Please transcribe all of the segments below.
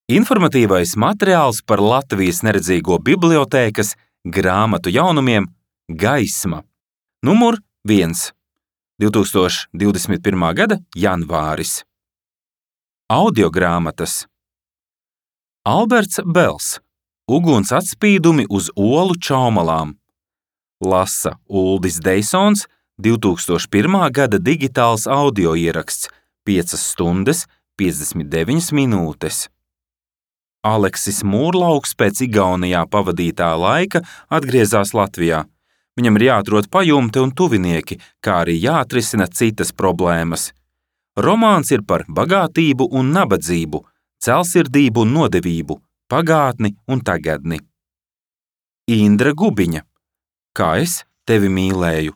Informatīvais materiāls par Latvijas neredzīgo bibliotēkas grāmatu jaunumiem Gaisma. Numur 1. 2021. gada janvāris. Audiogrāmatas. Alberts Bels. Uguns atspīdumi uz olu čaumalām. Lasa Uldis Deisons. 2001. gada digitāls audio ieraksts 5 stundas 59 minūtes. Aleksis Mūrlauks pēc Igaunijā pavadītā laika atgriezās Latvijā. Viņam ir jāatrod pajumte un tuvinieki, kā arī jāatrisina citas problēmas. Romāns ir par bagātību un nabadzību, celsirdību un nodevību, pagātni un tagadni. Indra Gubiņa. Kā es tevi mīlēju.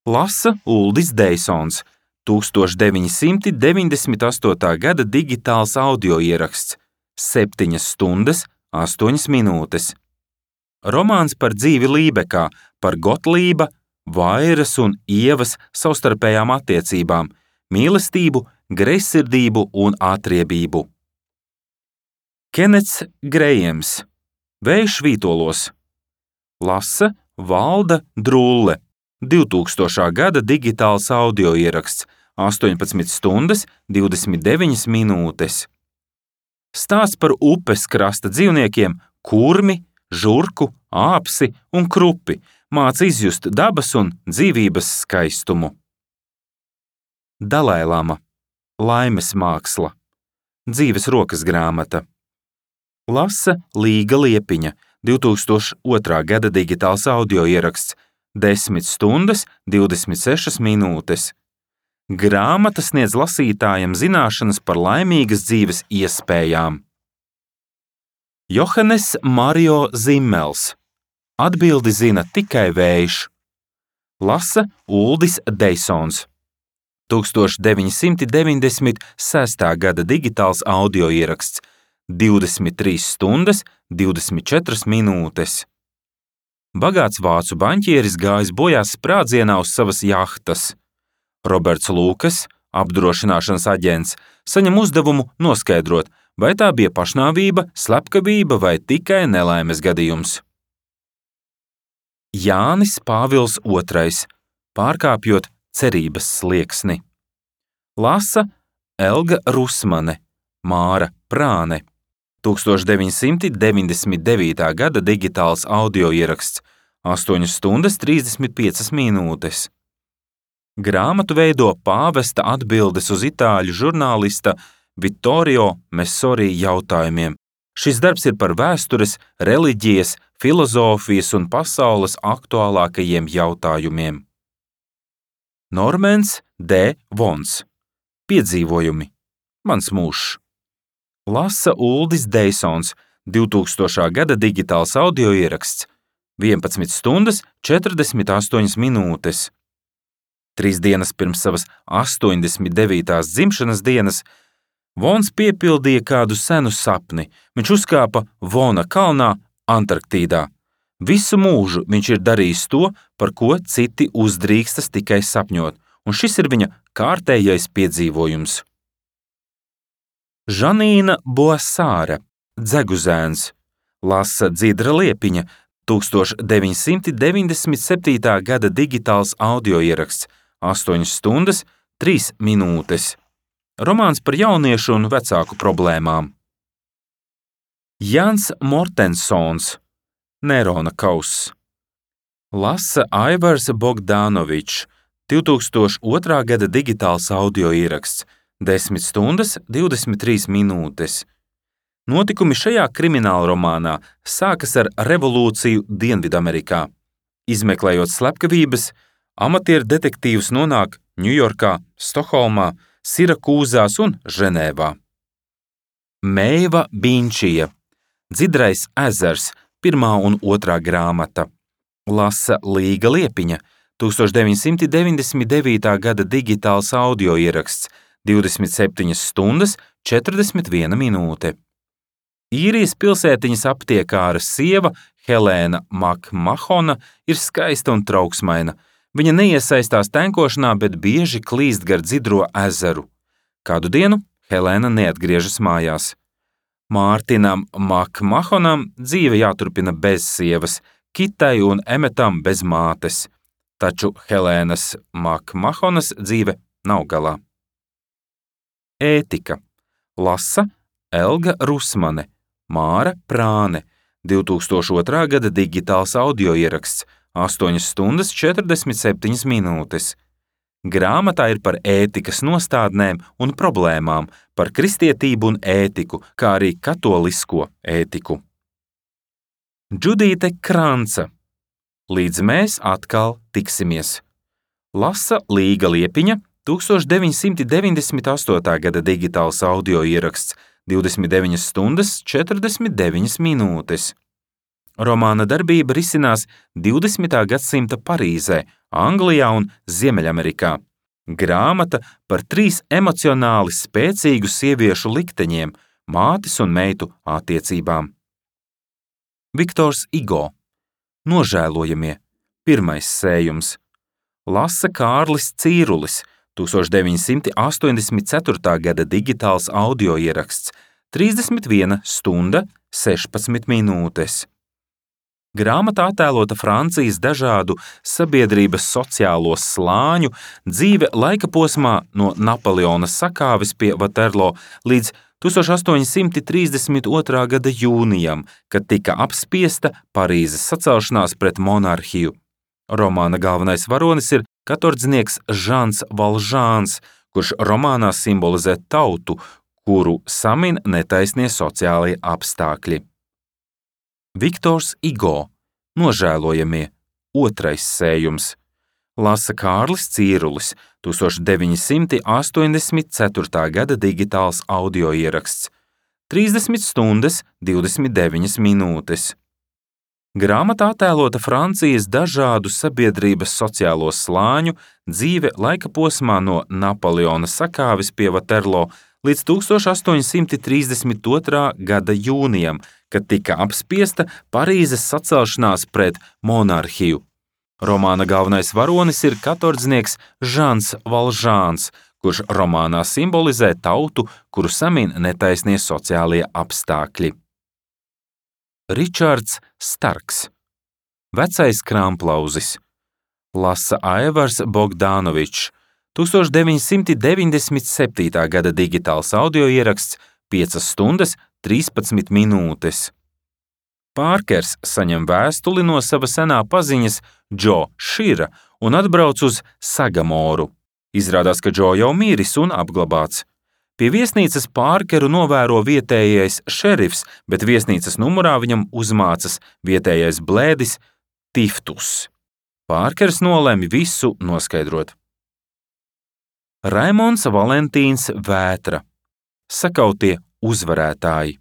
Lasa Uldis Deisons. 1998. gada digitāls audio ieraksts 7 stundas 8 minūtes. Romāns par dzīvi Lībekā, par Gotlība, Vairas un Ievas savstarpējām attiecībām, mīlestību, greizsirdību un atriebību. Kenets Grejams. Vējš vītolos. Lasa Valda Drulle. 2000. gada digitāls audio ieraksts 18 stundas 29 minūtes. Stāsts par upes krasta dzīvniekiem kurmi, žurku, āpsi un krupi māca izjust dabas un dzīvības skaistumu. Dalailama. Laimes māksla. Dzīves rokas grāmata. Lasa Līga Liepiņa. 2002. gada digitāls audio ieraksts 10 stundas 26 minūtes. Grāmata sniedz lasītājam zināšanas par laimīgas dzīves iespējām. Johannes Mario Zimmels. Atbildi zina tikai vējš. Lasa Uldis Deisons. 1996. gada digitāls audio ieraksts 23 stundas 24 minūtes. Bagāts vācu baņķieris gājis bojā sprādzienā uz savas jahtas. Roberts Lūkas, apdrošināšanas aģents, saņem uzdevumu noskaidrot, vai tā bija pašnāvība, slepkavība vai tikai nelaimes gadījums. Jānis Pāvils II. Pārkāpjot cerības slieksni. Lasa Elga Rusmane. Māra Prāne. 1999. gada digitāls audio ieraksts 8 stundas 35 minūtes. Grāmatu veido pāvesta atbildes uz itāļu žurnālista Vittorio Messori jautājumiem. Šis darbs ir par vēstures, reliģijas, filozofijas un pasaules aktuālākajiem jautājumiem. Normans D. Vons. Piedzīvojumi. Mans mūžs. Lasa Uldis Deisons. 2000. gada digitāls audio ieraksts 11 stundas 48 minūtes. 3 dienas pirms savas 89. dzimšanas dienas Vons piepildīja kādu senu sapni. Viņš uzkāpa Vona kalnā Antarktīdā. Visu mūžu viņš ir darījis to, par ko citi uzdrīkstas tikai sapņot, un šis ir viņa kārtējais piedzīvojums. Žanīna Boasāra. Dzeguzēns. Lasa Dzidra Liepiņa. 1997. gada digitāls audio ieraksts 8 stundas 3 minūtes. Romāns par jauniešu un vecāku problēmām. Jans Mortensons. Nerona kauss. Lasa Aivars Bogdanovičs. 2002. gada digitāls audio ieraksts 10 stundas 23 minūtes. Notikumi šajā krimināla romānā sākas ar revolūciju Dienvidamerikā. Izmeklējot slepkavības, amatieru detektīvs nonāk Ņujorkā, Stokholmā, Sirakūzās un Ženēvā. Meiva Binčija. Dzidrais ezers. 1. un 2. grāmata. Lasa Līga Liepiņa. 1999. gada digitāls audio ieraksts 27 stundas 41 minūte. Īrijas pilsētiņas aptiekāra sieva Helēna Makmahona ir skaista un trauksmaina. Viņa neiesaistās tenkošanā, bet bieži klīst gar Dzidro ezeru. Kādu dienu Helēna neatgriežas mājās. Mārtinam Makmahonam dzīve jāturpina bez sievas, Kitai un Emetam bez mātes, taču Helēnas Makmahonas dzīve nav galā. Ētika. Lasa Elga Rusmane, Māra Prāne, 2002. gada digitāls audioieraksts, 8 stundas 47 minūtes. Grāmatā ir par ētikas nostādnēm un problēmām, par kristietību un ētiku, kā arī katolisko ētiku. Džudīte Kranca. Līdz mēs atkal tiksimies. Lasa Līga Liepiņa, 1998. gada digitāls audioieraksts, 29 stundas 49 minūtes. Romāna darbība risinās 20. gadsimta Parīzē, Anglijā un Ziemeļamerikā. Grāmata par 3 emocionāli spēcīgu sieviešu likteņiem, mātes un meitu attiecībām. Viktors Igo. Nožēlojamie. 1. sējums. Lasa Kārlis Cīrulis, 1984. gada digitāls audioieraksts, 31 stunda 16 minūtes. Grāmatā attēlota Francijas dažādu sabiedrības sociālo slāņu dzīve laika posmā no Napoleona sakāves pie Vaterlo līdz 1832. gada jūnijam, kad tika apspiesta Parīzes sacelšanās pret monarhiju. Romāna galvenais varonis ir katordznieks Žans Valžāns, kurš romānā simbolizē tautu, kuru samin netaisnie sociālie apstākļi. Viktors Igo. Nožēlojamie. 2. sējums. Lasa Kārlis Cīrulis, 1984. gada digitāls audioieraksts, 30 stundas 29 minūtes. Grāmatā attēlota Francijas dažādu sabiedrības sociālo slāņu dzīve laika posmā no Napoleona sakāves pie Vaterlo līdz 1832. gada jūnijam, kad tika apspiesta Parīzes sacelšanās pret monarhiju. Romāna galvenais varonis ir katordznieks Žans Valžāns, kurš romānā simbolizē tautu, kuru samin netaisnie sociālie apstākļi. Ričards Starks. Vecais kramplauzis. Lasa Aivars Bogdanovičs, 1997. gada digitāls audioieraksts, 5 stundas 13 minūtes. Pārkers saņem vēstuli no sava senā paziņas Džo Šira un atbrauc uz Sagamoru. Izrādās, ka Džo jau miris un apglabāts. Pie viesnīcas Pārkeru novēro vietējais šerifs, bet viesnīcas numurā viņam uzmācas vietējais blēdis Tiftus. Pārkers nolemj visu noskaidrot. Raimonds Valentīns Vētra. Sakautie uzvarētāji.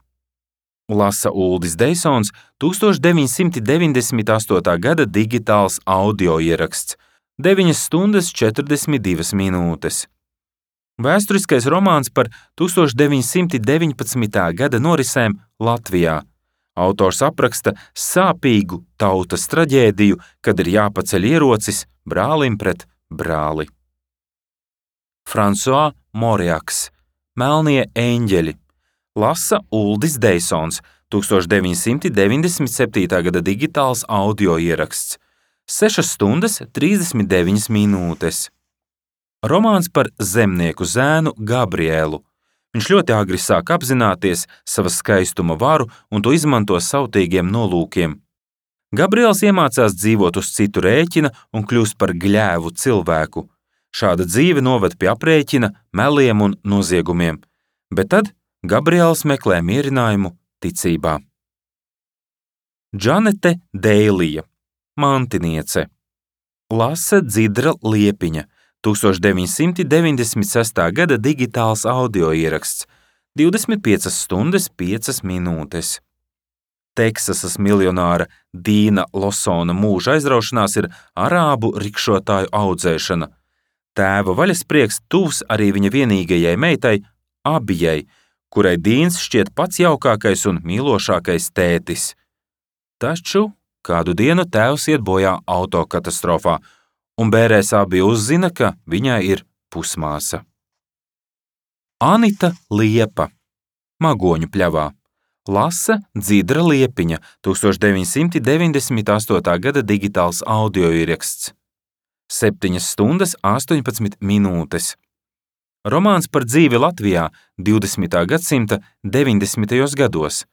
Lasa Uldis Deisons, 1998. gada digitāls audioieraksts, 9 stundas 42 minūtes. Vēsturiskais romāns par 1919. gada norisēm Latvijā. Autors apraksta sāpīgu tautas traģēdiju, kad ir jāpaceļ ierocis brālim pret brāli. François Moriaks. Melnie eņģeļi. Lasa Uldis Deisons, 1997. gada digitāls audioieraksts, 6 stundas 39 minūtes. Romāns par zemnieku zēnu Gabrielu. Viņš ļoti agri sāk apzināties savas skaistuma varu un to izmanto sautīgiem nolūkiem. Gabriels iemācās dzīvot uz citu rēķina un kļūst par gļēvu cilvēku. Šāda dzīve noved pie aprēķina, meliem un noziegumiem, bet tad Gabriels meklē mierinājumu ticībā. Džanete Deilija. Mantiniece. Lasa Dzidra Liepiņa, 1996. gada digitāls audioieraksts, 25 stundas 5 minūtes. Teksasas miljonāra Dīna Losona mūža aizraušanās ir arābu rikšotāju audzēšana. Tēva vaļasprieks tuvs arī viņa vienīgajai meitai, Abijai, kurai Dīns šķiet pats jaukākais un mīlošākais tētis. Taču kādu dienu tēvs iet bojā autokatastrofā, un bērēs Abija uzzina, ka viņai ir pusmāsa. Anita Liepa. Magoņu pļavā. Lasa Dzidra Liepiņa, 1998. gada digitāls audioieraksts. 7 stundas 18 minūtes. Romāns par dzīvi Latvijā 20. gadsimta 90. gados.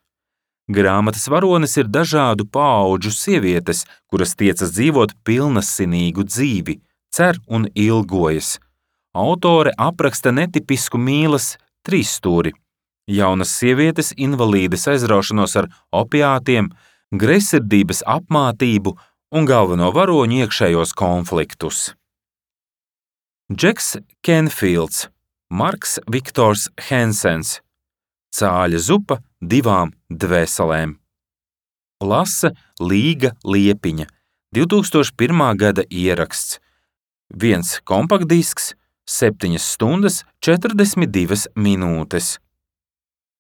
Grāmatas varonis ir dažādu paudžu sievietes, kuras tiecas dzīvot pilnasinīgu dzīvi, cer un ilgojas. Autore apraksta netipisku mīlas trīsstūri. Jaunas sievietes invalīdes aizraušanos ar opiātiem, greizsirdības apmātību un galveno varoņu iekšējos konfliktus. Džeks Kenfields, Marks Viktors Hensens. Cāļa zupa 2 dvēselēm. Lasa Līga Liepiņa, 2001. gada ieraksts. 1 kompaktdisks, 7 stundas 42 minūtes.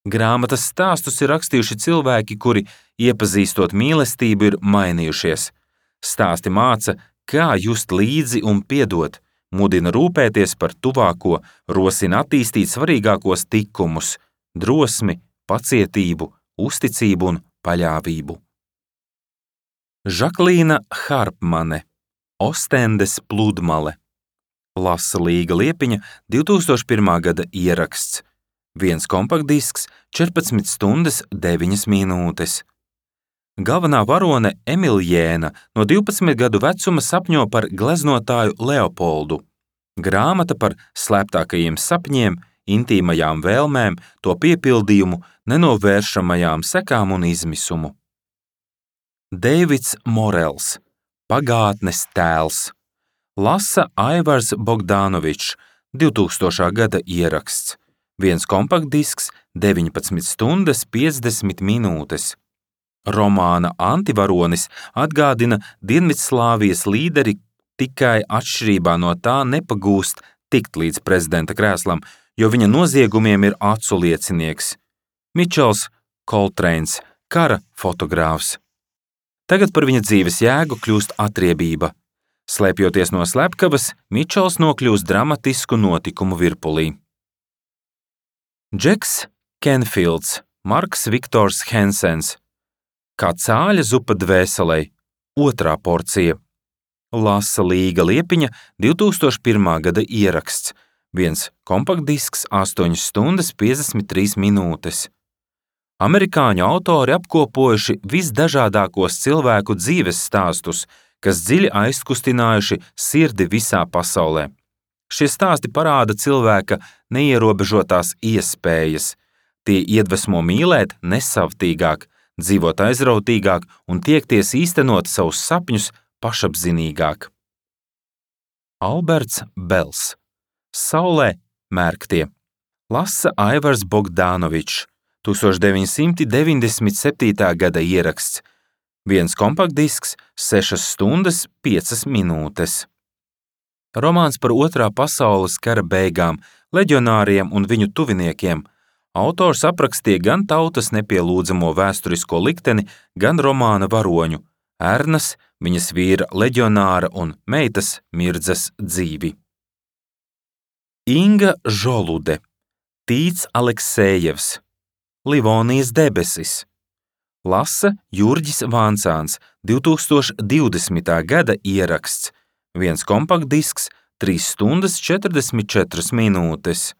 Grāmatas stāstus ir rakstījuši cilvēki, kuri, iepazīstot mīlestību, ir mainījušies. Stāsti māca, kā just līdzi un piedot, mudina rūpēties par tuvāko, rosina attīstīt svarīgākos tikumus – drosmi, pacietību, uzticību un paļāvību. Žaklīna Harpmane, Ostendes pludmale. Lasa Līga Liepiņa, 2001. gada ieraksts. 1 kompaktdisks, 14 stundas 9 minūtes. Galvenā varone Emiljēna no 12 gadu vecuma sapņo par gleznotāju Leopoldu. Grāmata par slēptākajiem sapņiem, intīmajām vēlmēm, to piepildījumu, nenovēršamajām sekām un izmisumu. Deivids Morels, Pagātnes tēls. Lasa Aivars Bogdanovičs, 2000. gada ieraksts. 1 kompaktdisks, 19 stundas 50 minūtes. Romāna antivaronis atgādina Dienvidslāvijas līderi, tikai atšķirībā no tā nepagūst tikt līdz prezidenta krēslam, jo viņa noziegumiem ir acu liecinieks. Mičels Koltreins, kara fotogrāfs. Tagad par viņa dzīves jēgu kļūst atriebība. Slēpjoties no slepkavas, Mičels nokļūst dramatisku notikumu virpulī. Džeks Kenfields, Marks Viktors Hensens. Kā cāļa zupa dvēselei, 2. porcija. Lasa Līga Liepiņa, 2001. gada ieraksts. 1 kompaktdisks, 8 stundas 53 minūtes. Amerikāņu autori apkopojuši visdažādākos cilvēku dzīves stāstus, kas dziļi aizkustinājuši sirdi visā pasaulē. Šie stāsti parāda cilvēka neierobežotās iespējas. Tie iedvesmo mīlēt nesavtīgāk, dzīvot aizrautīgāk un tiekties īstenot savus sapņus pašapzinīgāk. Alberts Bels, Saulē mērktie. Lasa Aivars Bogdanovičs, 1997. gada ieraksts. 1 kompaktdisks, 6 stundas 5 minūtes. Romāns par 2. pasaules kara beigām, leģionāriem un viņu tuviniekiem. Autors aprakstīja gan tautas nepielūdzamo vēsturisko likteni, gan romāna varoņu – Ernas, viņas vīra leģionāra un meitas Mirdzas dzīvi. Inga Žolude, Tīts Aleksējevs, Livonijas debesis. Lasa Jurģis Vancāns, 2020. gada ieraksts. 1 kompaktdisks, 3 stundas 44 minūtes.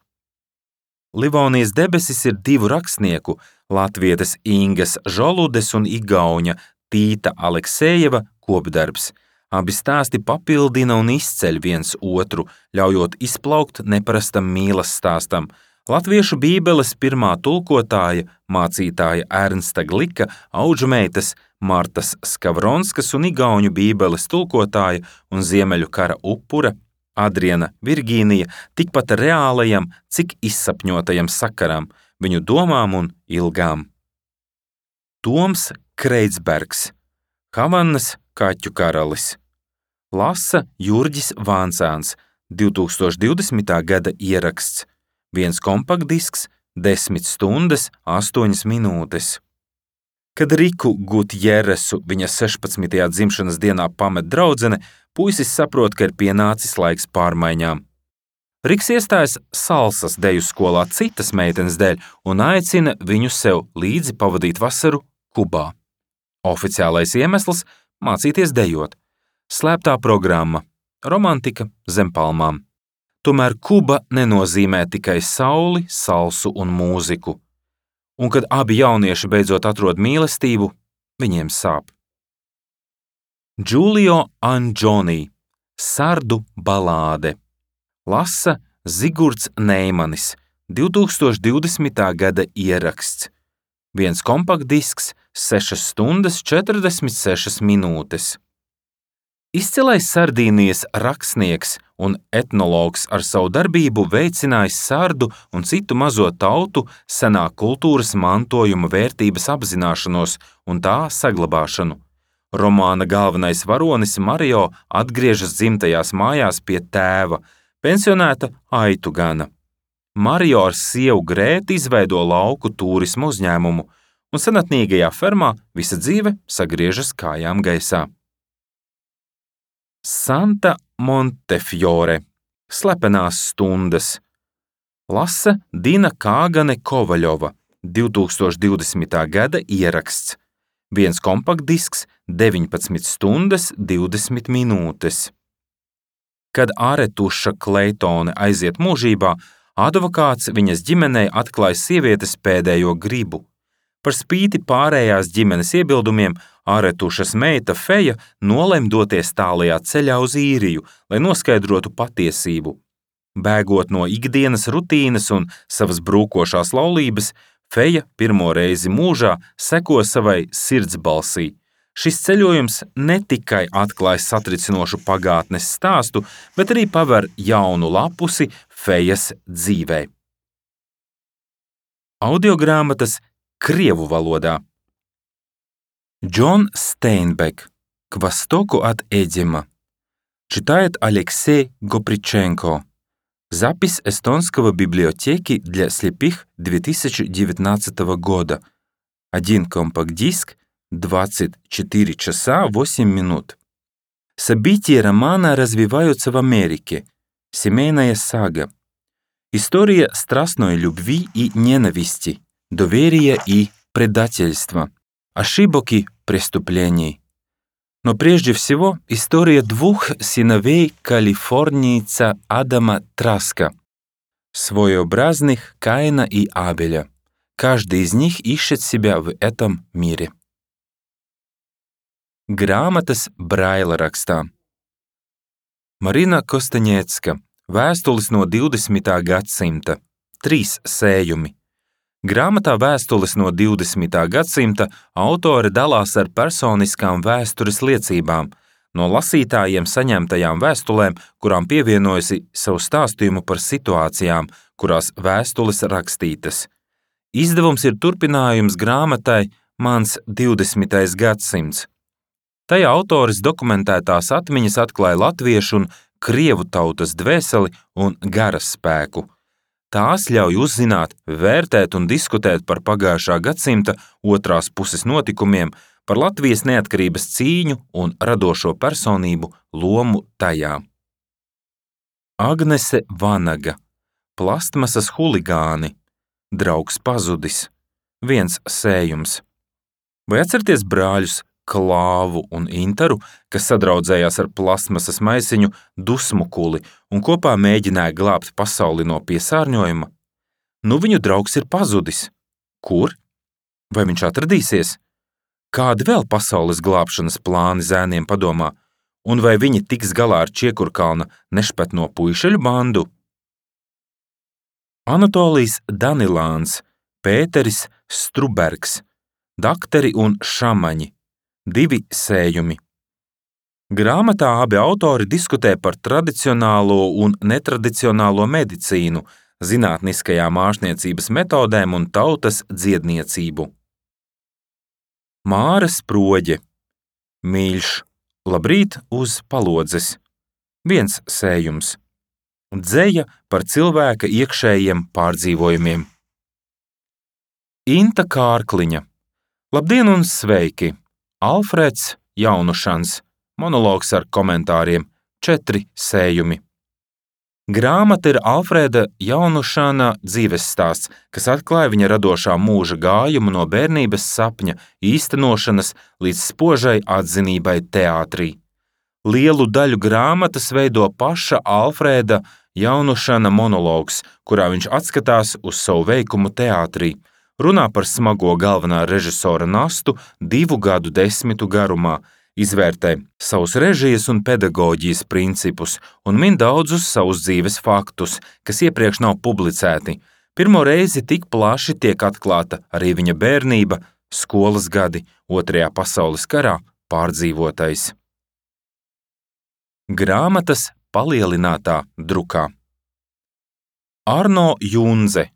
Livonijas debesis ir 2 rakstnieku, latvietes Ingas Žoludes un igauņa Tīta Aleksējeva kopdarbs. Abi stāsti papildina un izceļ viens otru, ļaujot izplaukt neparastam mīlas stāstam. Latviešu bībeles pirmā tulkotāja, mācītāja Ernsta Glika, audžumeitas Martas Skavronskas un igauņu bībeles tulkotāja un Ziemeļu kara upura Adriana Virgīnija tikpat reālajam, cik izsapņotajam sakaram, viņu domām un ilgām. Toms Kreitsbergs, Havanas kaķu karalis. Lasa Jurģis Vancāns, 2020. gada ieraksts. 1 kompaktdisks, 10 stundas 8 minūtes. Kad Riku Gutjeresu viņa 16. dzimšanas dienā pamet draudzene, puisis saprot, ka ir pienācis laiks pārmaiņām. Riks iestājas salsas deju skolā citas meitenes dēļ un aicina viņu sev līdzi pavadīt vasaru Kubā. Oficiālais iemesls – mācīties dejot. Slēptā programma – romantika zem palmām. Tomēr Kuba nenozīmē tikai sauli, salsu un mūziku. Un kad abi jaunieši beidzot atrod mīlestību, viņiem sāp. Giulio Andžoni – Sardu balāde. Lasa Zigurds Neimanis, 2020. gada ieraksts. Viens kompaktdisks, 6 stundas 46 minūtes. Izcilais Sardīnijas rakstnieks un etnologs ar savu darbību veicinājis sardu un citu mazo tautu senā kultūras mantojuma vērtības apzināšanos un tā saglabāšanu. Romāna galvenais varonis Mario atgriežas dzimtajās mājās pie tēva, pensionēta aitu gana. Mario ar sievu Grēti izveido lauku tūrismu uzņēmumu, un senatnīgajā fermā visa dzīve sagriežas kājām gaisā. Santa Montefiore – Slepenās stundas. Lasa Dina Kāgane Kovaļova, 2020. gada ieraksts. Viens kompaktdisks, 19 stundas 20 minūtes. Kad Aretuša Kleitone aiziet mūžībā, advokāts viņas ģimenei atklāja sievietes pēdējo gribu. Par spīti pārējās ģimenes iebildumiem, Aretušas meita Feja nolem doties tālajā ceļā uz Īriju, lai noskaidrotu patiesību. Bēgot no ikdienas rutīnas un savas brūkošās laulības, Feja pirmo reizi mūžā seko savai sirdsbalsī. Šis ceļojums ne tikai atklāj satricinošu pagātnes stāstu, bet arī paver jaunu lapusi Fejas dzīvē. Audiogrāmatas krievu valodā. Джон Стейнбек. К востоку от Эдима. Читает Алексей Гоприченко. Запись эстонского библиотеки для слепых 2019 года. 1 компакт-диск, 24 часа 8 минут. События романа развиваются в Америке. Семейная сага. История страстной любви и ненависти, доверия и предательства, ошибок и преступлений. Но прежде всего история двух сыновей калифорнийца Адама Траска, своеобразных Каина и Абеля. Каждый из них ищет себя в этом мире. Grāmatas Braila rakstā. Marina Kostaņecka. Vēstules no 20. gadsimta. 3 sējumi. Grāmatā Vēstules no 20. gadsimta autore dalās ar personiskām vēstures liecībām, no lasītājiem saņemtajām vēstulēm, kurām pievienojusi savu stāstījumu par situācijām, kurās vēstules rakstītas. Izdevums ir turpinājums grāmatai Mans 20. gadsimts. Tajā autoris dokumentētās atmiņas atklāja latviešu un krievu tautas dvēseli un garas spēku. Tās ļauj uzzināt, vērtēt un diskutēt par pagājušā gadsimta otrās puses notikumiem, par Latvijas neatkarības cīņu un radošo personību lomu tajā. Agnese Vanaga. Plastmasas huligāni. Draugs pazudis. 1 sējums. Vai atcerieties brāļus Klāvu un Intaru, kas sadraudzējās ar plastmasas maisiņu Dusmukuli un kopā mēģināja glābt pasauli no piesārņojuma? Nu viņu draugs ir pazudis. Kur? Vai viņš atradīsies? Kādi vēl pasaules glābšanas plāni zēniem padomā? Un vai viņi tiks galā ar Čiekurkalna nešpetno puišeļu bandu? Anatolijs Danilāns, Pēteris Strubergs, Dakteri un šamaņi. 2 sējumi. Grāmatā abi autori diskutē par tradicionālo un netradicionālo medicīnu, zinātniskajām ārstniecības metodēm un tautas dziedniecību. Māra Sproģe. Mīļš. Labrīt uz palodzes. 1 sējums. Dzeja par cilvēka iekšējiem pārdzīvojumiem. Inta Kārkliņa. Labdien un sveiki! Alfreds Jaunušans. Monologs ar komentāriem. 4 sējumi. Grāmata ir Alfrēda Jaunušana dzīvesstāsts, kas atklāja viņa radošā mūža gājumu no bērnības sapņa īstenošanas līdz spožai atzinībai teātrī. Lielu daļu grāmatas veido paša Alfrēda Jaunušana monologs, kurā viņš atskatās uz savu veikumu teātrī, runā par smago galvenā režisora nastu 2 gadu desmitu garumā, izvērtē savus režijas un pedagoģijas principus un min daudzus savus dzīves faktus, kas iepriekš nav publicēti. Pirmo reizi tik plaši tiek atklāta arī viņa bērnība, skolas gadi, 2. pasaules karā pārdzīvotais. Grāmatas palielinātā drukā. Arno Junze,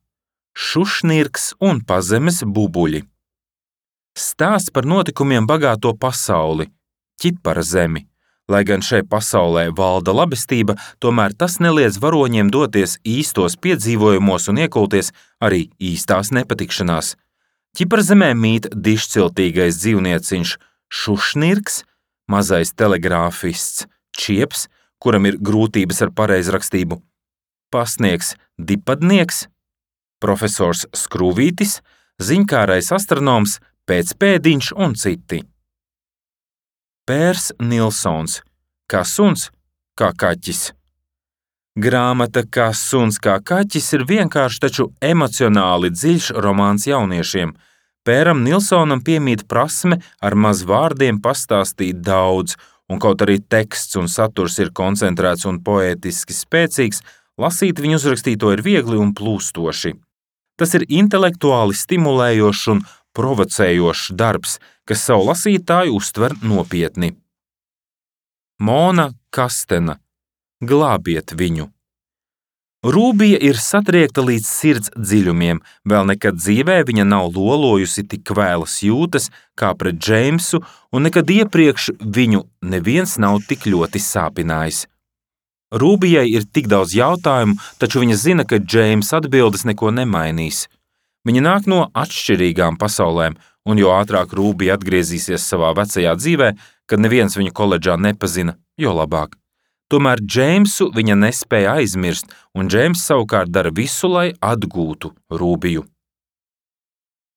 Šušnirks un pazemes bubuļi. Stāsts par notikumiem bagāto pasauli, Ķipara zemi. Lai gan šai pasaulē valda labestība, tomēr tas neliedz varoņiem doties īstos piedzīvojumos un iekulties arī īstās nepatikšanās. Ķipara zemē mīt dišciltīgais dzīvnieciņš Šušnirks, mazais telegrāfists Čieps, kuram ir grūtības ar pareizrakstību, pastnieks Dipadnieks, profesors Skrūvītis, ziņkārais astronoms Pēcpēdiņš un citi. Pērs Nilsons, Kā suns, kā kaķis. Grāmata Kā suns, kā kaķis ir vienkārši, taču emocionāli dziļš romāns jauniešiem. Pēram Nilsonam piemīt prasme ar maz vārdiem pastāstīt daudz, un kaut arī teksts un saturs ir koncentrēts un poētiski spēcīgs, lasīt viņu uzrakstīto ir viegli un plūstoši. Tas ir intelektuāli stimulējošs un provocējošs darbs, kas savu lasītāju uztver nopietni. Mona Kastena, Glābiet viņu. Rūbija ir satriekta līdz sirds dziļumiem, vēl nekad dzīvē viņa nav lolojusi tik kvēlas jūtas kā pret Džeimsu, un nekad iepriekš viņu neviens nav tik ļoti sāpinājis. Rūbijai ir tik daudz jautājumu, taču viņa zina, ka Džeims atbildes neko nemainīs. Viņa nāk no atšķirīgām pasaulēm, un jo ātrāk Rūbija atgriezīsies savā vecajā dzīvē, kad neviens viņu koledžā nepazina, jo labāk. Tomēr Džeimsu viņa nespēja aizmirst, un Džeims savukārt dara visu, lai atgūtu Rūbiju.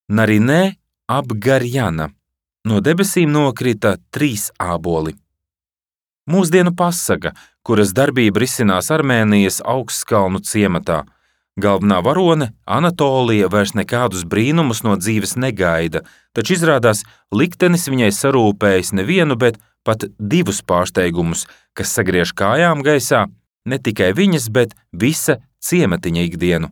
Narinē Abgarjana. No debesīm nokrita 3 āboli. Mūsdienu pasaka, kuras darbība risinās Armēnijas Augstkalnu ciematā. Galvenā varone, Anatolija, vairs nekādus brīnumus no dzīves negaida, taču izrādās liktenis viņai sarūpējis nevienu, bet pat 2 pārsteigumus, kas sagriež kājām gaisā ne tikai viņas, bet visa ciematiņa ikdienu.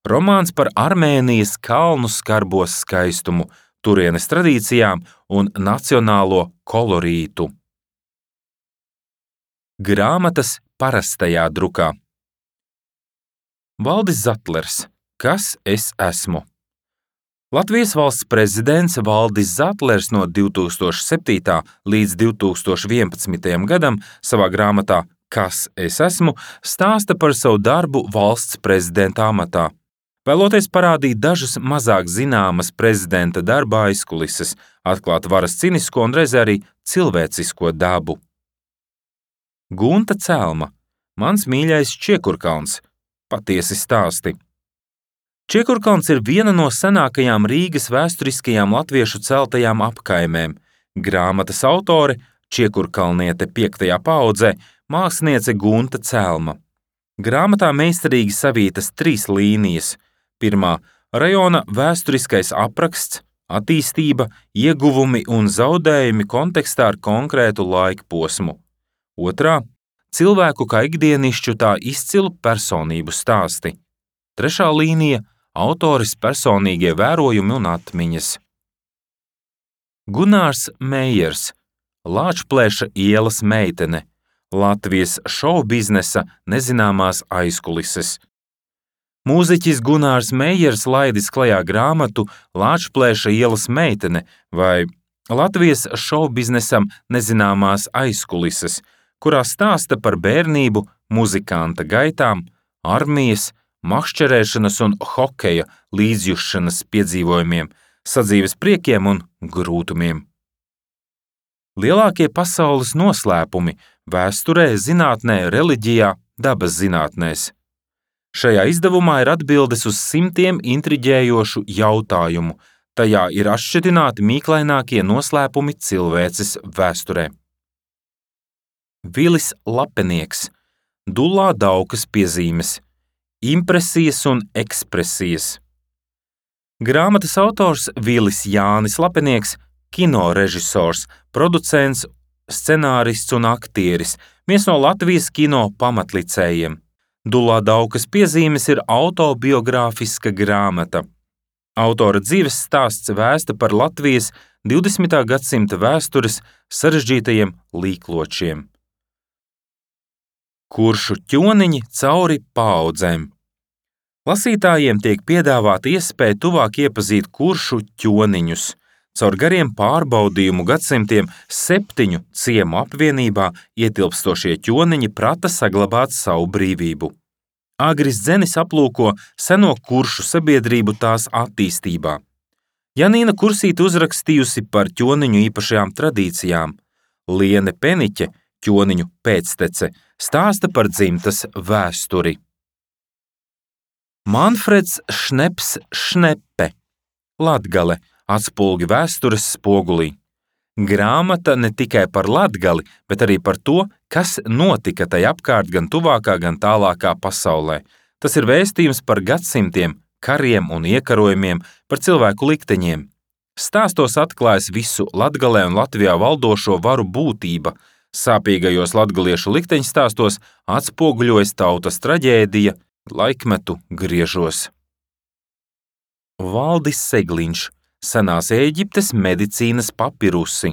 Romāns par Armēnijas kalnu skarbo skaistumu, turienes tradīcijām un nacionālo kolorītu. Grāmatas parastajā drukā. Valdis Zatlers, Kas es esmu? Latvijas valsts prezidents Valdis Zatlers no 2007. līdz 2011. gadam savā grāmatā Kas es esmu stāsta par savu darbu valsts prezidenta amatā. Vēloties parādīt dažas mazāk zināmas prezidenta darba aizkulises, atklāt varas cinisko un reizē arī cilvēcisko dabu. Gunta Celma, Mans mīļais Čiekurkalns. Patiesi stāsti. Čiekurkalns ir viena no senākajām Rīgas vēsturiskajām latviešu celtajām apkaimēm. Grāmatas autore, čiekurkalniete 5. paaudzē, māksliniece Gunta Celma. Grāmatā meistarīgi savītas 3 līnijas. Pirmā – rajona vēsturiskais apraksts, attīstība, ieguvumi un zaudējumi kontekstā ar konkrētu laikposmu. Otrā – cilvēku kā ikdienišķu tā izcilu personību stāsti. Trešā līnija – autores personīgie vērojumi un atmiņas. Gunārs Meijers, Lāčplēša ielas meitene, Latvijas šovbiznesa nezināmās aizkulises. Mūziķis Gunārs Meijers laidis klajā grāmatu Lāčplēša ielas meitene vai Latvijas šovbiznesam nezināmās aizkulises, kurā stāsta par bērnību, muzikanta gaitām, armijas, makšķerēšanas un hokeja līdzjušanas piedzīvojumiem, sadzīves priekiem un grūtumiem. Lielākie pasaules noslēpumi vēsturē, zinātnē, reliģijā, dabas zinātnēs. Šajā izdevumā ir atbildes uz simtiem intriģējošu jautājumu. Tajā ir atšķetināti mīklainākie noslēpumi cilvēces vēsturē. Vilis Lapenieks, Dullā Daukas piezīmes, impresijas un ekspresijas. Grāmatas autors Vilis Jānis Lapenieks, kinorežisors, producents, scenārists un aktieris, viens no Latvijas kino pamatlicējiem. Dullā Daukas piezīmes ir autobiogrāfiska grāmata. Autora dzīves stāsts vēsta par Latvijas 20. gadsimta vēstures sarežģītajiem līkločiem. Kuršu ķoniņi cauri paaudzēm. Lasītājiem tiek piedāvāta iespēja tuvāk iepazīt kuršu ķoniņus. Caur gariem pārbaudījumu gadsimtiem 7 ciemu apvienībā ietilpstošie ķoniņi prata saglabāt savu brīvību. Agris Dzenis aplūko seno kuršu sabiedrību tās attīstībā. Janīna Kursīte uzrakstījusi par ķoniņu īpašajām tradīcijām. Liene Peniķe, ķoniņu pēctece, stāsta par dzimtas vēsturi. Manfreds Šneps Šnepe, Latgale, atspulgi vēstures spogulī. Grāmata ne tikai par Latgali, bet arī par to, kas notika tai apkārt gan tuvākā, gan tālākā pasaulē. Tas ir vēstījums par gadsimtiem, kariem un iekarojumiem, par cilvēku likteņiem. Stāstos atklājas visu Latgalē un Latvijā valdošo varu būtība. Sāpīgajos latgaliešu likteņstāstos atspoguļojas tautas traģēdija, laikmetu griežos. Valdis Segliņš, Senās Ēģiptes medicīnas papirusi.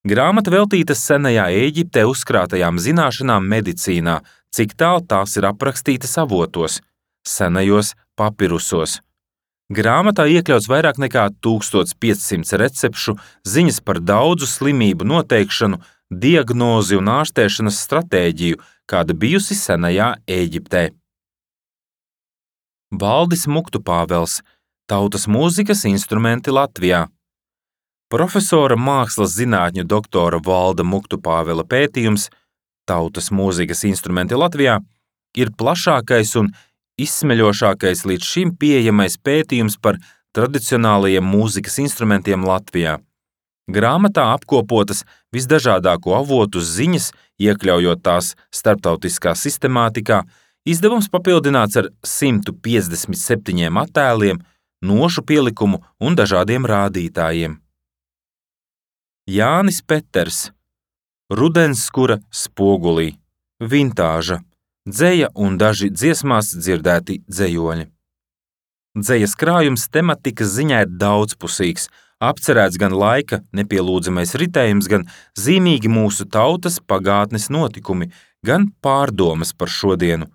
Grāmata veltīta senajā Ēģiptē uzkrātajām zināšanām medicīnā, cik tālu tās ir aprakstītas avotos, senajos papirusos. Grāmatā iekļauts vairāk nekā 1500 recepšu, ziņas par daudzu slimību noteikšanu, diagnozi un ārstēšanas stratēģiju, kāda bijusi senajā Ēģiptē. Valdis Muktupāvels, Tautas mūzikas instrumenti Latvijā. Profesora mākslas zinātņu doktora Valda Muktupāvela pētījums Tautas mūzikas instrumenti Latvijā ir plašākais un izsmeļošākais līdz šim pieejamais pētījums par tradicionālajiem mūzikas instrumentiem Latvijā. Grāmatā apkopotas visdažādāko avotu ziņas, iekļaujot tās starptautiskā sistemātikā, izdevums papildināts ar 157 attēliem, nošu pielikumu un dažādiem rādītājiem. Jānis Peters, Rudenskura spogulī, vintāža, dzeja un daži dziesmās dzirdēti dzejoļi. Dzejas krājums tematikas ziņā ir daudzpusīgs, apcerēts gan laika nepielūdzamais ritējums, gan zīmīgi mūsu tautas pagātnes notikumi, gan pārdomas par šodienu.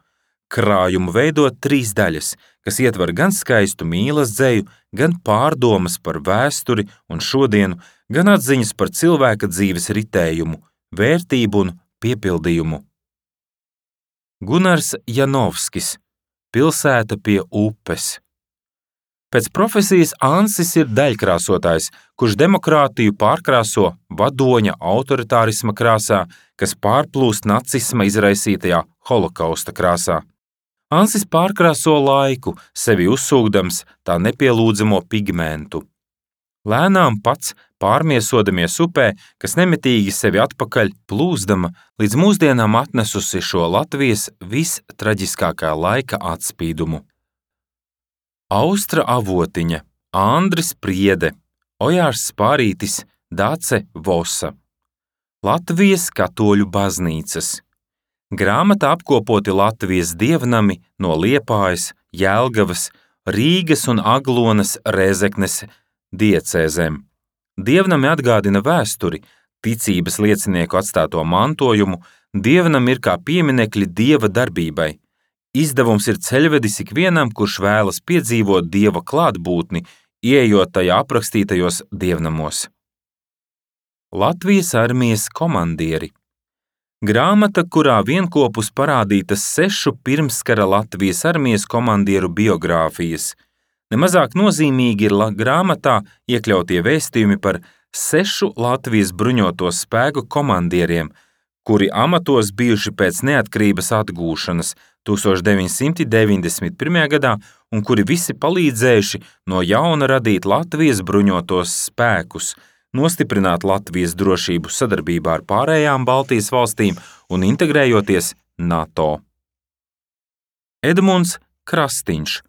Krājumu veido 3 daļas, kas ietver gan skaistu mīlas dzeju, gan pārdomas par vēsturi un šodienu, gan atziņas par cilvēka dzīves ritējumu, vērtību un piepildījumu. Gunars Janovskis, Pilsēta pie upes. Pēc profesijas Ansis ir daļkrāsotājs, kurš demokrātiju pārkrāso vadoņa autoritārisma krāsā, kas pārplūst nacisma izraisītajā holokausta krāsā. Ansis pārkrāso laiku, sevi uzsūkdams tā nepielūdzamo pigmentu. Lēnām pats pārmiesodamies upē, kas nemitīgi sevi atpakaļ plūzdama, līdz mūsdienām atnesusi šo Latvijas vistraģiskākā laika atspīdumu. Austra avotiņa, Andris Priede, Ojārs Spārītis, Dace Vosa. Latvijas katoļu baznīcas. Grāmatā apkopoti Latvijas dievnami no Liepājas, Jelgavas, Rīgas un Aglonas Rēzeknes diecēzēm. Dievnami atgādina vēsturi, ticības liecinieku atstāto mantojumu, dievnami ir kā pieminekļi dieva darbībai. Izdevums ir ceļvedis ikvienam, kurš vēlas piedzīvot dieva klātbūtni, ieejot tajā aprakstītajos dievnamos. Latvijas armijas komandieri. Grāmata, kurā vienkopus parādītas 6 pirmskara Latvijas armijas komandieru biogrāfijas. Nemazāk nozīmīgi ir grāmatā iekļautie vēstījumi par 6 Latvijas bruņoto spēku komandieriem, kuri amatos bijuši pēc neatkarības atgūšanas 1991. gadā un kuri visi palīdzējuši no jauna radīt Latvijas bruņotos spēkus, nostiprināt Latvijas drošību sadarbībā ar pārējām Baltijas valstīm un integrējoties NATO. Edmunds Krastiņš,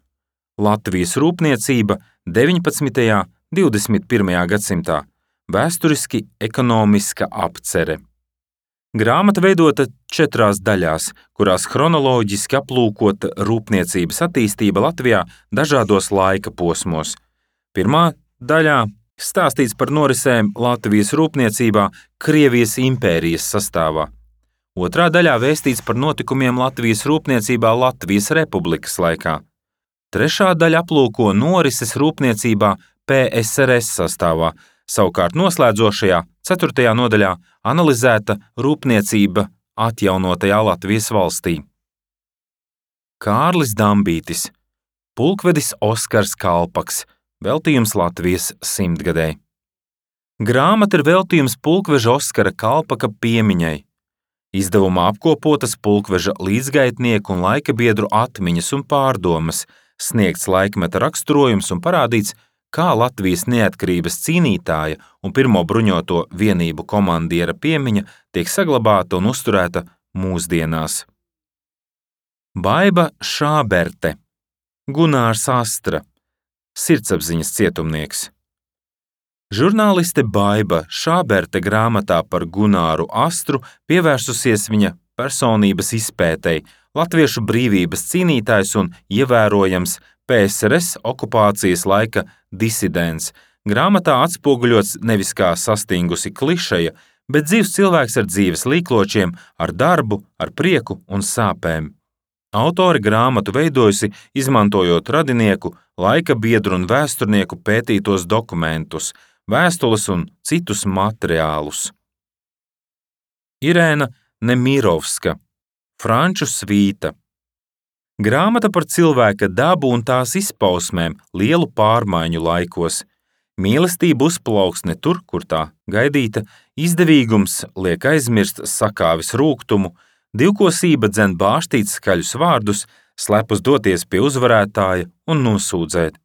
Latvijas rūpniecība 19. un 21. gadsimtā, vēsturiski ekonomiska apcere. Grāmata veidota 4 daļās, kurās chronoloģiski aplūkota rūpniecības attīstība Latvijā dažādos laika posmos. Pirmā daļā stāstīts par norisēm Latvijas rūpniecībā Krievijas impērijas sastāvā. Otrā daļā vēstīts par notikumiem Latvijas rūpniecībā Latvijas republikas laikā. Trešā daļa aplūko norises rūpniecībā PSRS sastāvā, savukārt noslēdzošajā 4. nodaļā analizēta rūpniecība atjaunotajā Latvijas valstī. Kārlis Dambītis, pulkvedis Oskars Kalpaks, veltījums Latvijas 100-gadei. Grāmata ir veltījums pulkveža Oskara Kalpaka piemiņai. Izdevumā apkopotas pulkveža līdzgaitnieku un laikabiedru atmiņas un pārdomas, sniegts laikmeta raksturojums un parādīts, kā Latvijas neatkarības cīnītāja un pirmo bruņoto vienību komandiera piemiņa tiek saglabāta un uzturēta mūsdienās. Baiba Šāberte, Gunārs Astra, sirdsapziņas cietumnieks. Žurnāliste Baiba Šāberte grāmatā par Gunāru Astru pievērsusies viņa personības izpētei, latviešu brīvības cīnītājs un ievērojams PSRS okupācijas laika disidents. Grāmatā atspoguļots nevis kā sastingusi klišeja, bet dzīvs cilvēks ar dzīves līkločiem, ar darbu, ar prieku un sāpēm. Autore grāmatu veidojusi, izmantojot radinieku, laika biedru un vēsturnieku pētītos dokumentus, vēstules un citus materiālus. Irēna Nemirovska, Franču svīta. Grāmata par cilvēka dabu un tās izpausmēm lielu pārmaiņu laikos. Mīlestība uzplauksne tur, kur tā gaidīta, izdevīgums liek aizmirst sakāvis rūgtumu, divkosība dzen bāštīt skaļus vārdus, slepus doties pie uzvarētāja un nosūdzēt.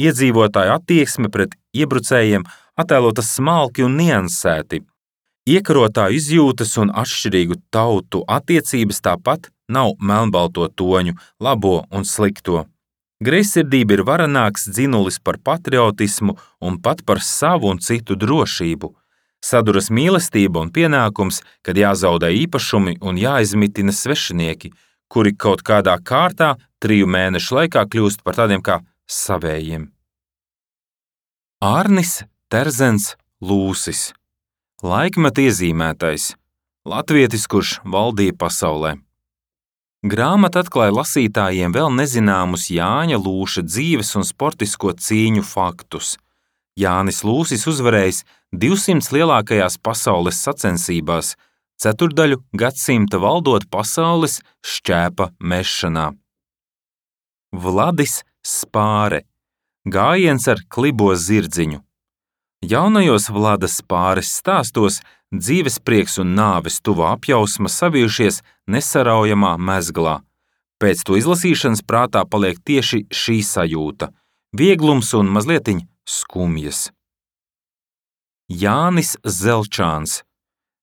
Iedzīvotāju attieksme pret iebrucējiem attēlota smalki un niansēti. Iekarotāju izjūtas un atšķirīgu tautu attiecības tāpat nav melnbalto toņu, labo un slikto. Greizsirdība ir varenāks dzinulis par patriotismu un pat par savu un citu drošību. Saduras mīlestība un pienākums, kad jāzaudē īpašumi un jāizmitina svešinieki, kuri kaut kādā kārtā 3 mēnešu laikā kļūst par tādiem kā savējiem. Ārnis Terzens Lūsis, laikmeta iezīmētais, latvietis, kurš valdīja pasaulē. Grāmata atklāja lasītājiem vēl nezināmus Jāņa Lūša dzīves un sportisko cīņu faktus. Jānis Lūsis uzvarējis 200 lielākajās pasaules sacensībās, 4 gadsimta valdot pasaules šķēpa mešanā. Vladis Spāre, gājiens ar klibo zirdziņu. Jaunajos Vlada Spāres stāstos dzīves prieks un nāves tuvā apjausma savijušies nesaraujamā mezglā. Pēc to izlasīšanas prātā paliek tieši šī sajūta – vieglums un mazlietiņ skumjas. Jānis Zelčāns,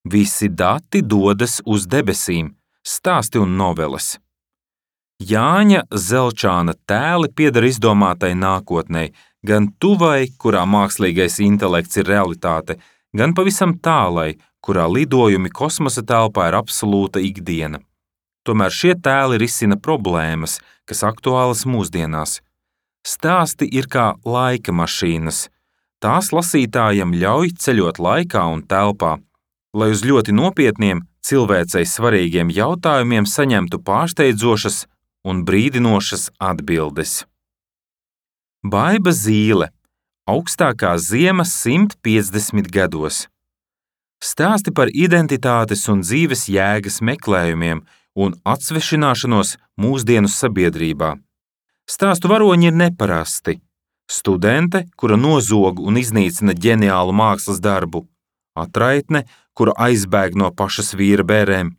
visi dati dodas uz debesīm, stāsti un noveles. Jāņa Zelčāna tēli pieder izdomātai nākotnei, gan tuvai, kurā mākslīgais intelekts ir realitāte, gan pavisam tālai, kurā lidojumi kosmosa telpā ir absolūta ikdiena. Tomēr šie tēli risina problēmas, kas aktuālas mūsdienās. Stāsti ir kā laika mašīnas. Tās lasītājam ļauj ceļot laikā un telpā, lai uz ļoti nopietniem, cilvēcei svarīgiem jautājumiem saņemtu pārsteidzošas un brīdinošas atbildes. Baiba Zīle, augstākā ziema 150 gados. Stāsti par identitātes un dzīves jēgas meklējumiem un atsvešināšanos mūsdienu sabiedrībā. Stāstu varoņi ir neparasti. Studente, kura nozog un iznīcina ģeniālu mākslas darbu. Atraitne, kura aizbēg no pašas vīra bērēm,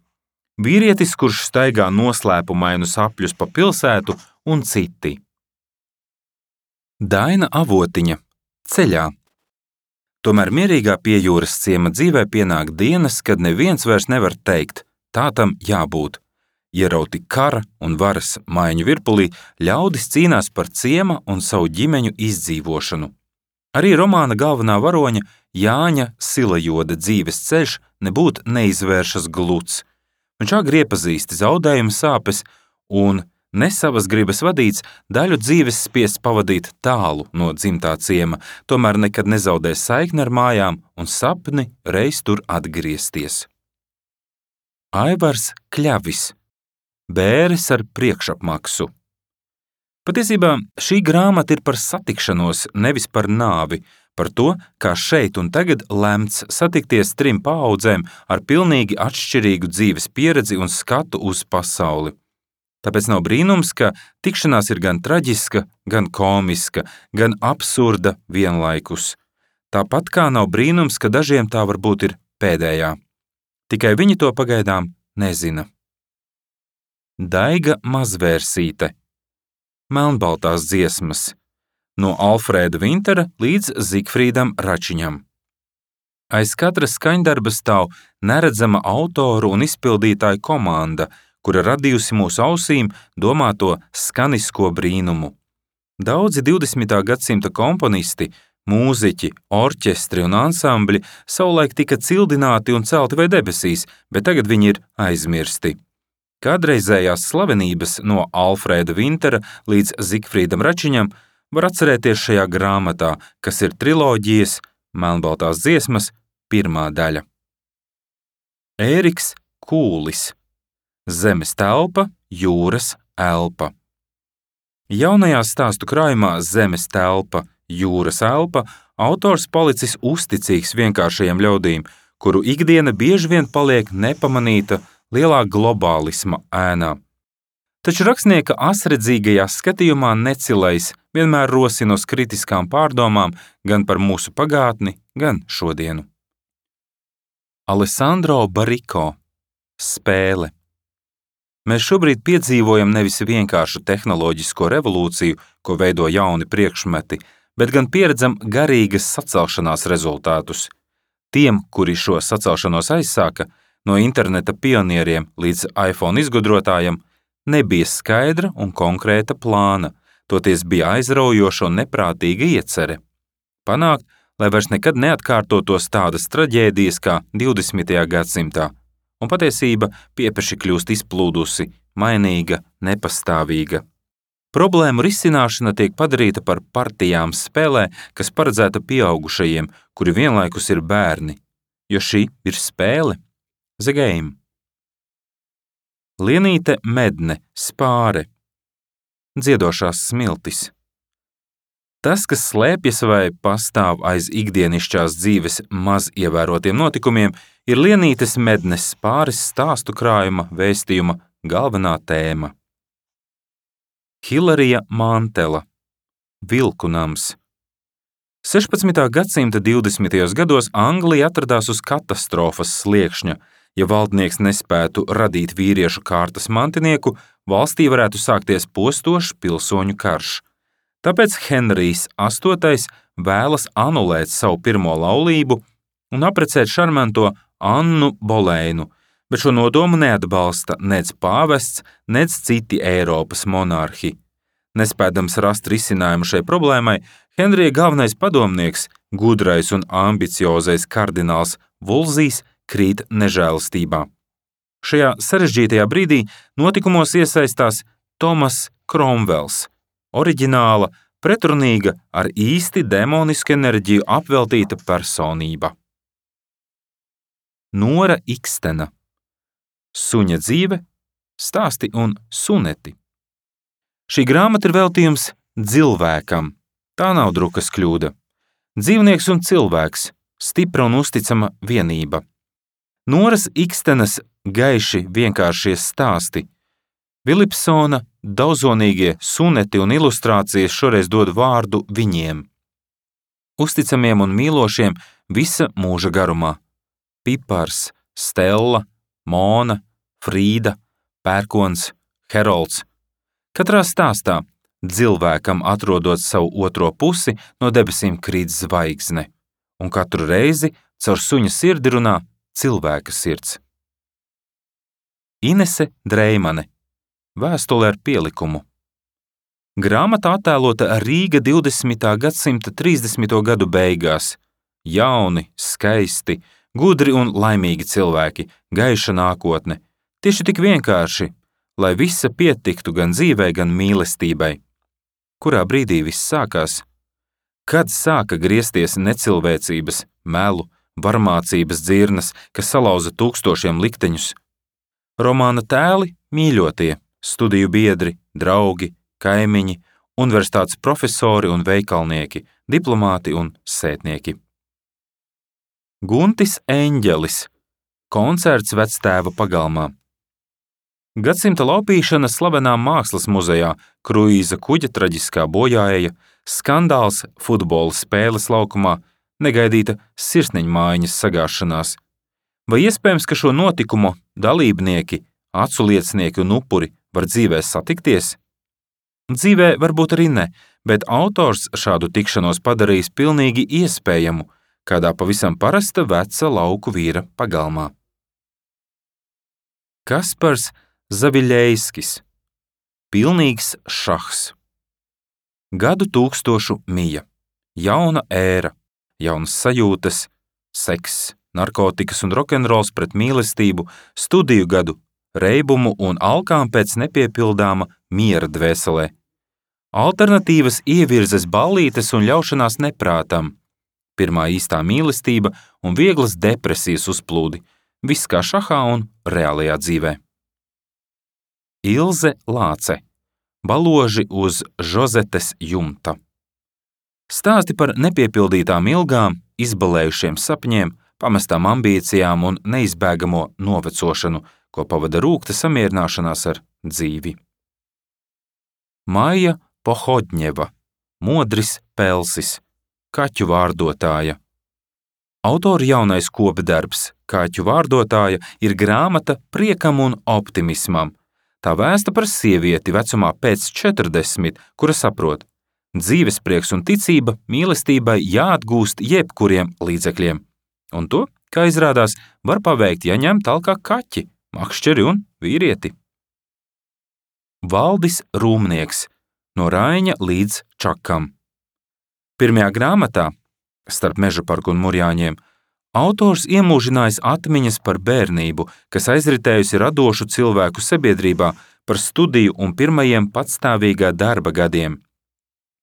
vīrietis, kurš staigā noslēpumainus apļus pa pilsētu un citi. Daina Avotiņa ceļā. Tomēr mierīgā piejūras ciema dzīvē pienāk dienas, kad neviens vairs nevar teikt, tā tam jābūt. Ierauti kara un varas maiņu virpulī, ļaudis cīnās par ciema un savu ģimeņu izdzīvošanu. Arī romāna galvenā varoņa Jāņa Silajoda dzīves ceļš nebūt neizvēršas gluds. Viņš agri iepazīst zaudējuma sāpes un, ne savas gribas vadīts, daļu dzīves spiests pavadīt tālu no dzimtā ciema, tomēr nekad nezaudēs saikni ar mājām un sapni reiz tur atgriezties. Aivars Kļavis. Bēres ar priekšapmaksu. Patiesībā šī grāmata ir par satikšanos, nevis par nāvi, par to, kā šeit un tagad lemts satikties 3 paaudzēm ar pilnīgi atšķirīgu dzīves pieredzi un skatu uz pasauli. Tāpēc nav brīnums, ka tikšanās ir gan traģiska, gan komiska, gan absurda vienlaikus. Tāpat kā nav brīnums, ka dažiem tā varbūt ir pēdējā. Tikai viņi to pagaidām nezina. Daiga Mazvērsīte. Melnbaltās dziesmas. No Alfrēda Vintera līdz Zigfrīdam Račiņam. Aiz katra skaņdarba stāv neredzama autoru un izpildītāju komanda, kura radījusi mūsu ausīm domāto skanisko brīnumu. Daudzi 20. gadsimta komponisti, mūziķi, orķestri un ansambļi savulaik tika cildināti un celti vai debesīs, bet tagad viņi ir aizmirsti. Kādreizējās slavenības no Alfrēda Vintera līdz Zigfrīdam Račiņam var atcerēties šajā grāmatā, kas ir triloģijas Melnbaltās dziesmas 1. daļa. Ēriks Kūlis. Zemes telpa, jūras elpa. Jaunajā stāstu krājumā Zemes telpa, jūras elpa autors palicis uzticīgs vienkāršajiem ļaudīm, kuru ikdiena bieži vien paliek nepamanīta lielā globālisma ēnā. Taču rakstnieka asredzīgajā skatījumā necilais vienmēr rosina uz kritiskām pārdomām gan par mūsu pagātni, gan šodienu. Alessandro Bariko. Spēle. Mēs šobrīd piedzīvojam nevis vienkāršu tehnoloģisko revolūciju, ko veido jauni priekšmeti, bet gan pieredzam garīgas sacelšanās rezultātus. Tiem, kuri šo sacelšanos aizsāka, no interneta pionieriem līdz iPhone izgudrotājiem, nebija skaidra un konkrēta plāna, toties bija aizraujoša un neprātīga iecere. Panākt, lai vairs nekad neatkārtotos tādas traģēdijas kā 20. gadsimtā, un patiesība piepeši kļūst izplūdusi, mainīga, nepastāvīga. Problēmu risināšana tiek padarīta par partijām spēlē, kas paredzēta pieaugušajiem, kuri vienlaikus ir bērni, jo šī ir spēle. The Game. Lienīte Medne Spāre. Dziedošās smiltis. Tas, kas slēpjas vai pastāv aiz ikdienišķās dzīves maz ievērotiem notikumiem, ir Lienītes Mednes Spāres stāstu krājuma vēstījuma galvenā tēma. Hilarija Mantela. Vilku nams. 16. gadsimta 20. gados Anglija atradās uz katastrofas sliekšņa. Ja valdnieks nespētu radīt vīriešu kārtas mantinieku, valstī varētu sākties postošs pilsoņu karš. Tāpēc Henrijs VIII vēlas anulēt savu pirmo laulību un apprecēt šarmanto Annu Boleinu, bet šo nodomu neatbalsta nec pāvests, nec citi Eiropas monarhi. Nespēdams rast risinājumu šai problēmai, Henrija galvenais padomnieks, gudrais un ambiciozais kardināls Vulzijs, krīt nežēlastībā. Šajā sarežģītajā brīdī notikumos iesaistās Tomas Kromvels, oriģināla, pretrunīga, ar īsti demonisku enerģiju apveltīta personība. Nora Ikstena. Suņa dzīve, stāsti un suneti. Šī grāmata ir veltījums Dzilvēkam. Tā nav drukas kļūda. Dzīvnieks un cilvēks, stipra un uzticama vienība. Noras Ikstenas gaiši vienkāršie stāsti. Vilipsona daudzonīgie suneti un ilustrācijas šoreiz dod vārdu viņiem. Uzticamiem un mīlošiem visa mūža garumā. Pipars, Stella, Mona, Frīda, Pērkons, Herolds. Katrā stāstā dzilvēkam atrodot savu otro pusi, no debesīm krīt zvaigzne, un katru reizi caur suņa sirdi runā cilvēka sirds. Inese Dreimane. Vēstule ar pielikumu. Grāmata attēlota Rīga 20. gadsimta 30. gadu beigās. Jauni, skaisti, gudri un laimīgi cilvēki, gaiša nākotne. Tieši tik vienkārši, lai visa pietiktu gan dzīvē, gan mīlestībai. Kurā brīdī viss sākās? Kad sāka griezties necilvēcības, melu, varmācības dzirnas, kas salauza tūkstošiem likteņus? Romāna tēli mīļotie, studiju biedri, draugi, kaimiņi, universitātes profesori un veikalnieki, diplomāti un sētnieki. Guntis Eņģelis. Koncerts vectēva pagalmā. Gadsimta laupīšana slavenā mākslas muzejā, kruīza kuģa traģiskā bojāeja, skandāls futbola spēles laukumā, negaidīta sirsniņmaiņas sagāšanās. Vai iespējams, ka šo notikumu dalībnieki, aculiecinieki un upuri var dzīvē satikties? Dzīvē varbūt arī ne, bet autors šādu tikšanos padarījis pilnīgi iespējamu, kādā pavisam parasta veca lauku vīra pagalmā. Kaspars Zaviļejskis. Pilnīgs šahs. Gadu tūkstošu mija. Jauna ēra, jaunas sajūtas, sekss, narkotikas un rokenrols pret mīlestību, studiju gadu, reibumu un alkām pēc nepiepildāma miera dvēselē. Alternatīvas ievirzes ballītes un ļaušanās neprātam. Pirmā īstā mīlestība un vieglas depresijas uzplūdi, viss kā šahā un reālajā dzīvē. Ilze Lāce. Baloži uz Žozetes jumta. Stāsti par nepiepildītām ilgām, izbalējušiem sapņiem, pamestām ambīcijām un neizbēgamo novecošanu, ko pavada rūgta samierināšanās ar dzīvi. Maija Pohodņeva. Modris Pelsis. Kaķu vārdotāja. Autora jaunais kopdarbs Kaķu vārdotāja ir grāmata priekam un optimismam. Tā vēsta par sievieti vecumā pēc 40, kura saprot, dzīvesprieks un ticība mīlestībai jāatgūst jebkuriem līdzekļiem. Un to, kā izrādās, var paveikt, ja ņem talkā kaķi, makšķeri un vīrieti. Valdis Rūmnieks. No Raiņa līdz Čakam. Pirmajā grāmatā, starp Meža parku un Murjāņiem, autors iemūžinājis atmiņas par bērnību, kas aizritējusi radošu cilvēku sabiedrībā, par studiju un pirmajiem patstāvīgā darba gadiem.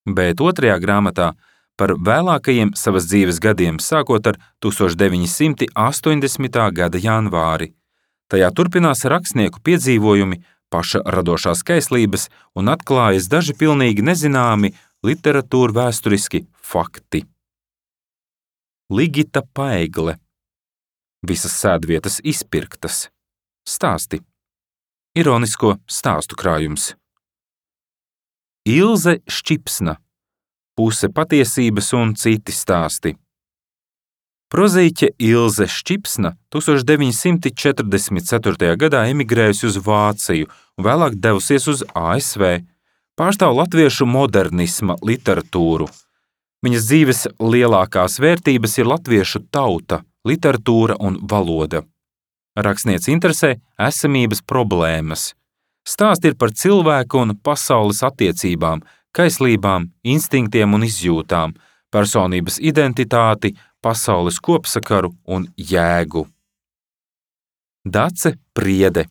Bet otrajā grāmatā par vēlākajiem savas dzīves gadiem, sākot ar 1980. gada janvāri. Tajā turpinās rakstnieku piedzīvojumi, paša radošās kaislības un atklājas daži pilnīgi nezināmi literatūra vēsturiski fakti. Ligita Paegle. Visas sēdvietas izpirktas. Stāsti. Ironisko stāstu krājums. Ilze Šķipsna. Puse patiesības un citi stāsti. Prozīķe Ilze Šķipsna 1944. gadā emigrējusi uz Vāciju un vēlāk devusies uz ASV, pārstāv latviešu modernisma literatūru. Viņas dzīves lielākās vērtības ir latviešu tauta, literatūra un valoda. Rakstniece interesē esamības problēmas. Stāsti ir par cilvēku un pasaules attiecībām, kaislībām, instinktiem un izjūtām, personības identitāti, pasaules kopsakaru un jēgu. Dace Priede.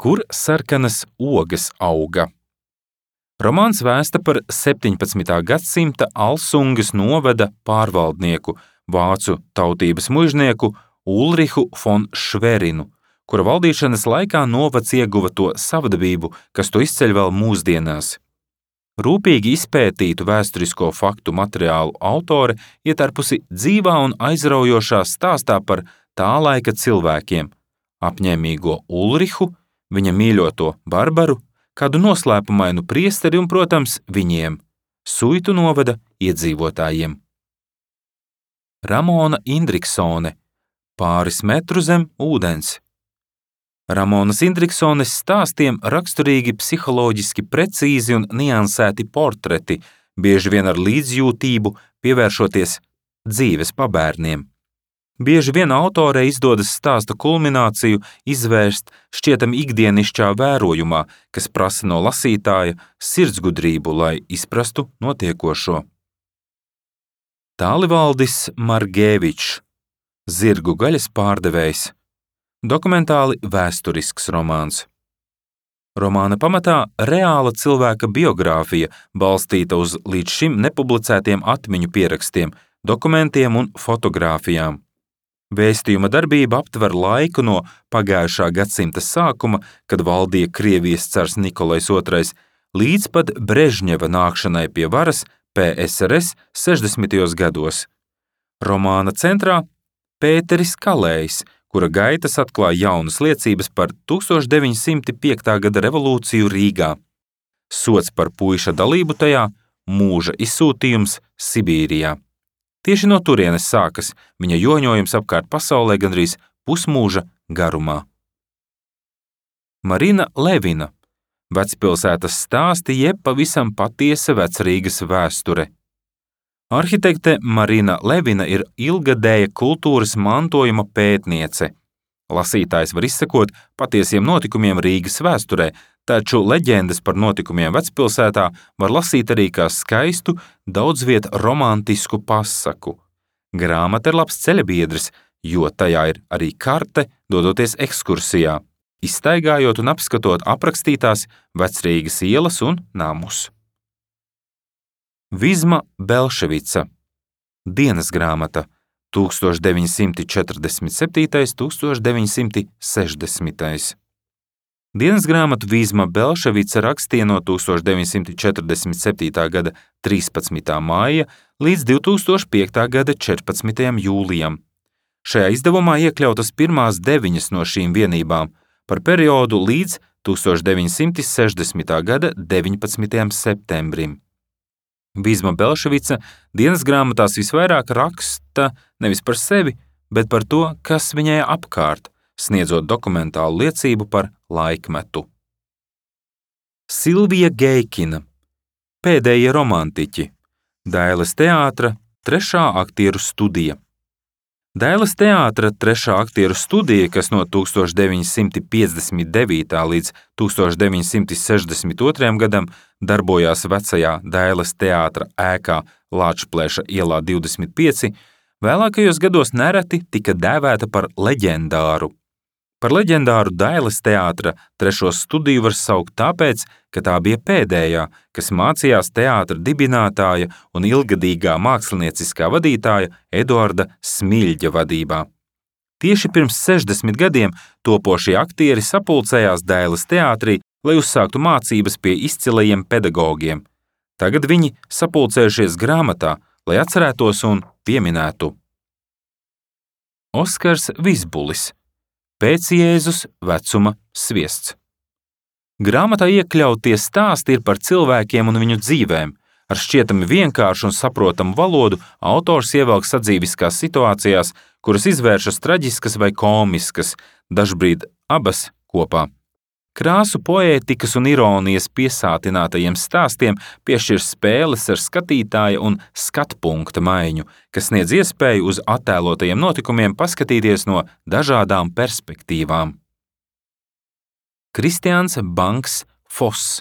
Kur sarkanas ogas auga? Romāns vēsta par 17. gadsimta Alsungas novada pārvaldnieku, vācu tautības muižnieku Ulrihu fon Šverinu, kura valdīšanas laikā novads ieguva to savdabību, kas to izceļ vēl mūsdienās. Rūpīgi izpētītu vēsturisko faktu materiālu autore ietērpusi dzīvā un aizraujošā stāstā par tā laika cilvēkiem, apņēmīgo Ulrihu, viņa mīļoto Barbaru, kādu noslēpumainu priesteri un, protams, viņiem, Suitu novada iedzīvotājiem. Ramona Indriksone. pāris metru zem ūdens. Ramonas Indriksones stāstiem raksturīgi psiholoģiski precīzi un niansēti portreti, bieži vien ar līdzjūtību pievēršoties dzīves pabērniem. Bieži vien autorei izdodas stāsta kulmināciju izvērst šķietami ikdienišķā vērojumā, kas prasa no lasītāja sirdsgudrību, lai izprastu notiekošo. Tālivaldis Margēvičs, Zirgu gaļas pārdevējs. Dokumentāli vēsturisks romāns. Romāna pamatā reāla cilvēka biogrāfija, balstīta uz līdz šim nepublicētiem atmiņu pierakstiem, dokumentiem un fotogrāfijām. Vēstījuma darbība aptver laiku no pagājušā gadsimta sākuma, kad valdīja Krievijas cars Nikolais II, līdz pat Brežņeva nākšanai pie varas PSRS 60. gados. Romāna centrā Pēteris Kalējs, kura gaitas atklāja jaunas liecības par 1905. gada revolūciju Rīgā. Sods par puiša dalību tajā, mūža izsūtījums Sibīrijā. Tieši no turienes sākas viņa joņojums apkārt pasaulē gandrīz pusmūža garumā. Marina Levina, Vecpilsētas stāsti jeb pavisam patiesa Vecrīgas vēsture. Arhitekte Marina Levina ir ilgadēja kultūras mantojuma pētniece. Lasītājs var izsekot patiesiem notikumiem Rīgas vēsturē, taču leģendas par notikumiem Vecpilsētā var lasīt arī kā skaistu, daudzviet romantisku pasaku. Grāmata ir labs ceļabiedrs, jo tajā ir arī karte, dodoties ekskursijā, izstaigājot un apskatot aprakstītās Vecrīgas ielas un namus. Vizma Belševica, Dienas grāmata, 1947–1960. Dienas grāmatu Vizma Belševica rakstīja no 1947. gada 13. māja līdz 2005. gada 14. jūlijam. Šajā izdevumā iekļautas pirmās 9 no šīm vienībām par periodu līdz 1960. gada 19. septembrim. Vizma Belševica dienas grāmatās visvairāk raksta nevis par sevi, bet par to, kas viņai apkārt, sniedzot dokumentālu liecību par laikmetu. Silvija Geikina, Pēdējie romantiķi, Dailes teātra 3. aktieru studija. Dailes teātra 3. aktieru studija, kas no 1959. līdz 1962. gadam darbojās vecajā Dailes teātra ēkā Lāčplēša ielā 25, vēlākajos gados nereti tika dēvēta par leģendāru. Par leģendāru Dailes teātra 3. studiju var saukt tāpēc, ka tā bija pēdējā, kas mācījās teātra dibinātāja un ilgadīgā mākslinieciskā vadītāja Eduarda Smiļģa vadībā. Tieši pirms 60 gadiem topošie aktieri sapulcējās Dailes teātrī, lai uzsāktu mācības pie izcilajiem pedagogiem. Tagad viņi sapulcējušies grāmatā, lai atcerētos un pieminētu. Oskars Vizbulis, Pēc Jēzus vecuma sviests. Grāmatā iekļautie stāsti ir par cilvēkiem un viņu dzīvēm. Ar šķietami vienkāršu un saprotamu valodu autors ievelk sadzīviskās situācijās, kuras izvēršas traģiskas vai komiskas, dažbrīd abas kopā. Krāsu poētikas un ironijas piesātinātajiem stāstiem piešķir spēles ar skatītāja un skatpunkta maiņu, kas sniedz iespēju uz attēlotajiem notikumiem paskatīties no dažādām perspektīvām. Kristiāns Banks Foss,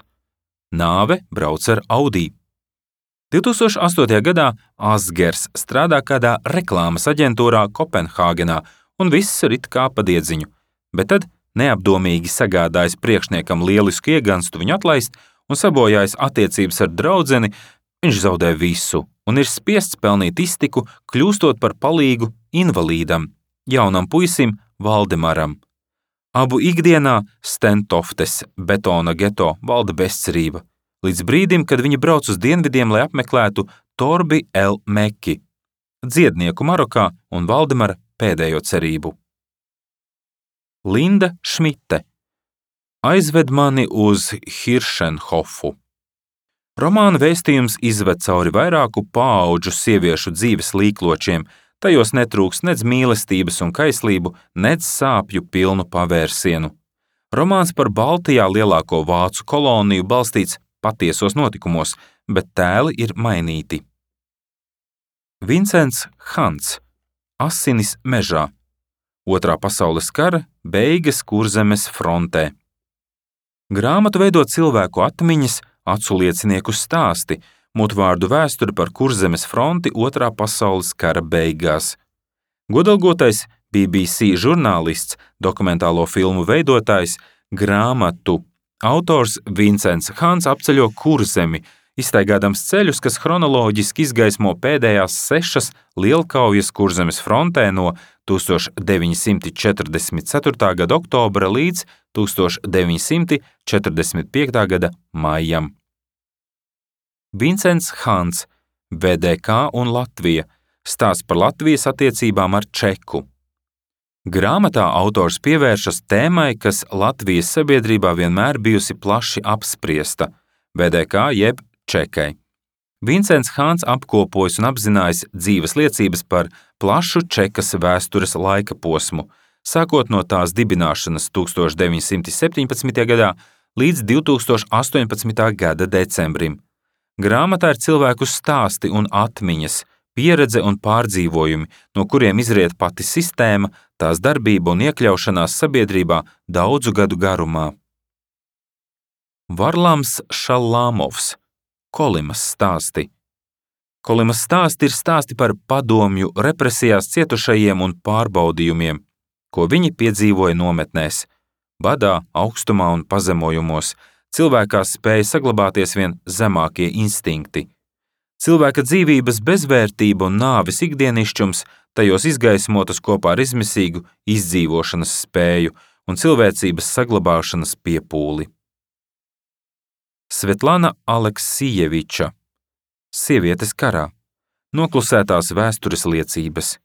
Nāve brauc ar Audi. 2008. gadā Asgers strādā kādā reklāmas aģentūrā Kopenhāgenā un viss rit kā pa diedziņu, bet tad neapdomīgi sagādājis priekšniekam lielisku ieganstu viņu atlaist un sabojājis attiecības ar draudzeni, viņš zaudē visu un ir spiests pelnīt iztiku, kļūstot par palīgu invalīdam, jaunam puisim Valdemaram. Abu ikdienā Stentoftes betona geto valda bezcerība, līdz brīdim, kad viņi brauc uz dienvidiem, lai apmeklētu Torbi El Meki, dziednieku Marokā un Valdemara pēdējo cerību. Linda Šmite, Aizved mani uz Hiršenhofu. Romāna vēstījums izved cauri vairāku paauģu sieviešu dzīves līkločiem, Tajos netrūks nedz mīlestības un kaislību, nedz sāpju pilnu pavērsienu. Romāns par Baltijā lielāko vācu koloniju balstīts patiesos notikumos, bet tēli ir mainīti. Vincents Hants, Asinis mežā. Otrā pasaules kara beigas Kurzemes frontē. Grāmatu veido cilvēku atmiņas, aculiecinieku stāsti, mutvārdu vēsturi par Kurzemes fronti Otrā pasaules kara beigās. Godalgotais BBC žurnālists, dokumentālo filmu veidotājs, grāmatu autors Vincents Hants apceļo Kurzemi, izstaigādams ceļus, kas chronoloģiski izgaismo pēdējās 6 lielkaujas Kurzemes frontē no 1944. Gada oktobra līdz 1945. Gada maijam. Vincents Hants, VDK un Latvija, stāsts par Latvijas attiecībām ar Čeku. Grāmatā autors pievēršas tēmai, kas Latvijas sabiedrībā vienmēr bijusi plaši apspriesta – VDK jeb Čekai. Vincents Hants apkopojas un apzinājis dzīves liecības par plašu Čekas vēstures laika posmu, sākot no tās dibināšanas 1917. gadā līdz 2018. gada decembrim. Grāmatā ir cilvēku stāsti un atmiņas, pieredze un pārdzīvojumi, no kuriem izriet pati sistēma, tās darbība un iekļaušanās sabiedrībā daudzu gadu garumā. Varlams Šalāmovs, Kolimas stāsti. Kolimas stāsti ir stāsti par padomju represijās cietušajiem un pārbaudījumiem, ko viņi piedzīvoja nometnēs, badā, augstumā un pazemojumos. Cilvēkā spēja saglabāties vien zemākie instinkti. Cilvēka dzīvības bezvērtība un nāves ikdienišķums tajos izgaismotas kopā ar izmisīgu izdzīvošanas spēju un cilvēcības saglabāšanas piepūli. Svetlana Aleksijeviča, Sievietes karā, noklusētās vēstures liecības.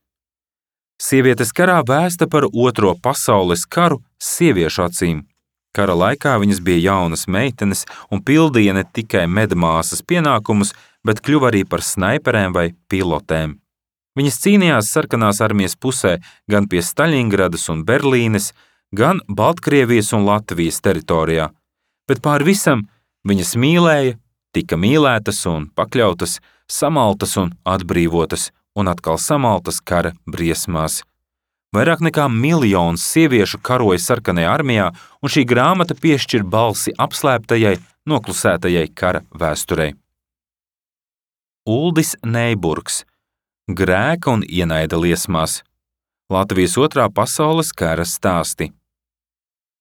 Sievietes karā vēsta par Otro pasaules karu sieviešu acīm. Kara laikā viņas bija jaunas meitenes un pildīja ne tikai medmāsas pienākumus, bet kļuva arī par snaiperēm vai pilotēm. Viņas cīnījās sarkanās armijas pusē gan pie Staļingradas un Berlīnes, gan Baltkrievijas un Latvijas teritorijā, bet pār visam viņas mīlēja, tika mīlētas un pakļautas, samaltas un atbrīvotas, un atkal samaltas kara briesmās. Vairāk nekā 1 miljons sieviešu karoja sarkanajā armijā, un šī grāmata piešķir balsi apslēptajai, noklusētajai kara vēsturei. Uldis Neiburgs, Grēka un ienaida liesmās. Latvijas Otrā pasaules kara stāsti.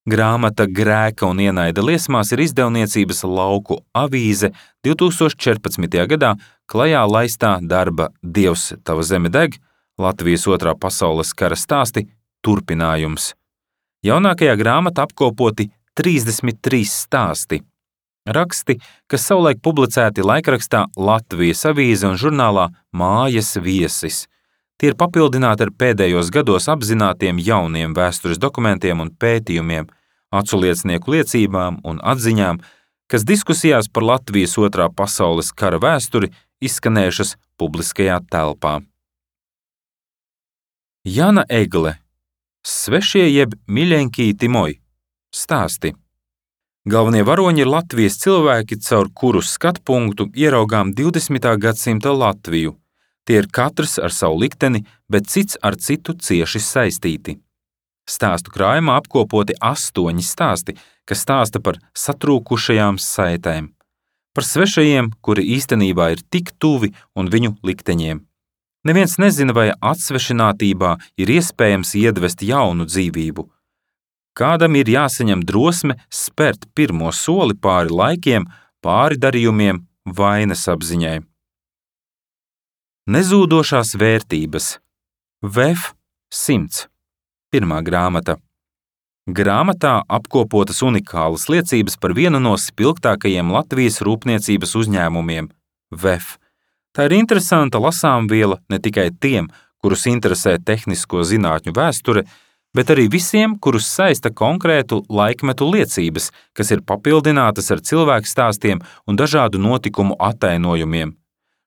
Grāmata Grēka un ienaida liesmās ir izdevniecības Lauku avīze 2014. gadā klajā laistā darba Dievs, tava zeme deg, Latvijas Otrā pasaules kara stāsti turpinājums. Jaunākajā grāmatā apkopoti 33 stāsti. Raksti, kas savulaik publicēti laikrakstā Latvijas avīze un žurnālā Mājas viesis. Tie ir papildināti ar pēdējos gados apzinātiem jauniem vēstures dokumentiem un pētījumiem, aculiecinieku liecībām un atziņām, kas diskusijās par Latvijas Otrā pasaules kara vēsturi izskanējušas publiskajā telpā. Jana Egle, Svešie jeb miļeņkīti moj, stāsti. Galvenie varoņi ir Latvijas cilvēki, caur kuru skatpunktu ieraugām 20. gadsimta Latviju. Tie ir katrs ar savu likteni, bet cits ar citu cieši saistīti. Stāstu krājumā apkopoti 8 stāsti, kas stāsta par satrūkušajām saitēm, par svešajiem, kuri īstenībā ir tik tuvi un viņu likteņiem. Neviens nezina, vai atsvešinātībā ir iespējams iedvest jaunu dzīvību. Kādam ir jāsaņem drosme spērt pirmo soli pāri laikiem, pāri darījumiem, vainas apziņai. Nezūdošās vērtības. VF 100. Pirmā grāmata. Grāmatā apkopotas unikālas liecības par vienu no spilgtākajiem Latvijas rūpniecības uzņēmumiem – VF. Tā ir interesanta lasāmviela ne tikai tiem, kurus interesē tehnisko zinātņu vēsture, bet arī visiem, kurus saista konkrētu laikmetu liecības, kas ir papildinātas ar cilvēku stāstiem un dažādu notikumu attainojumiem.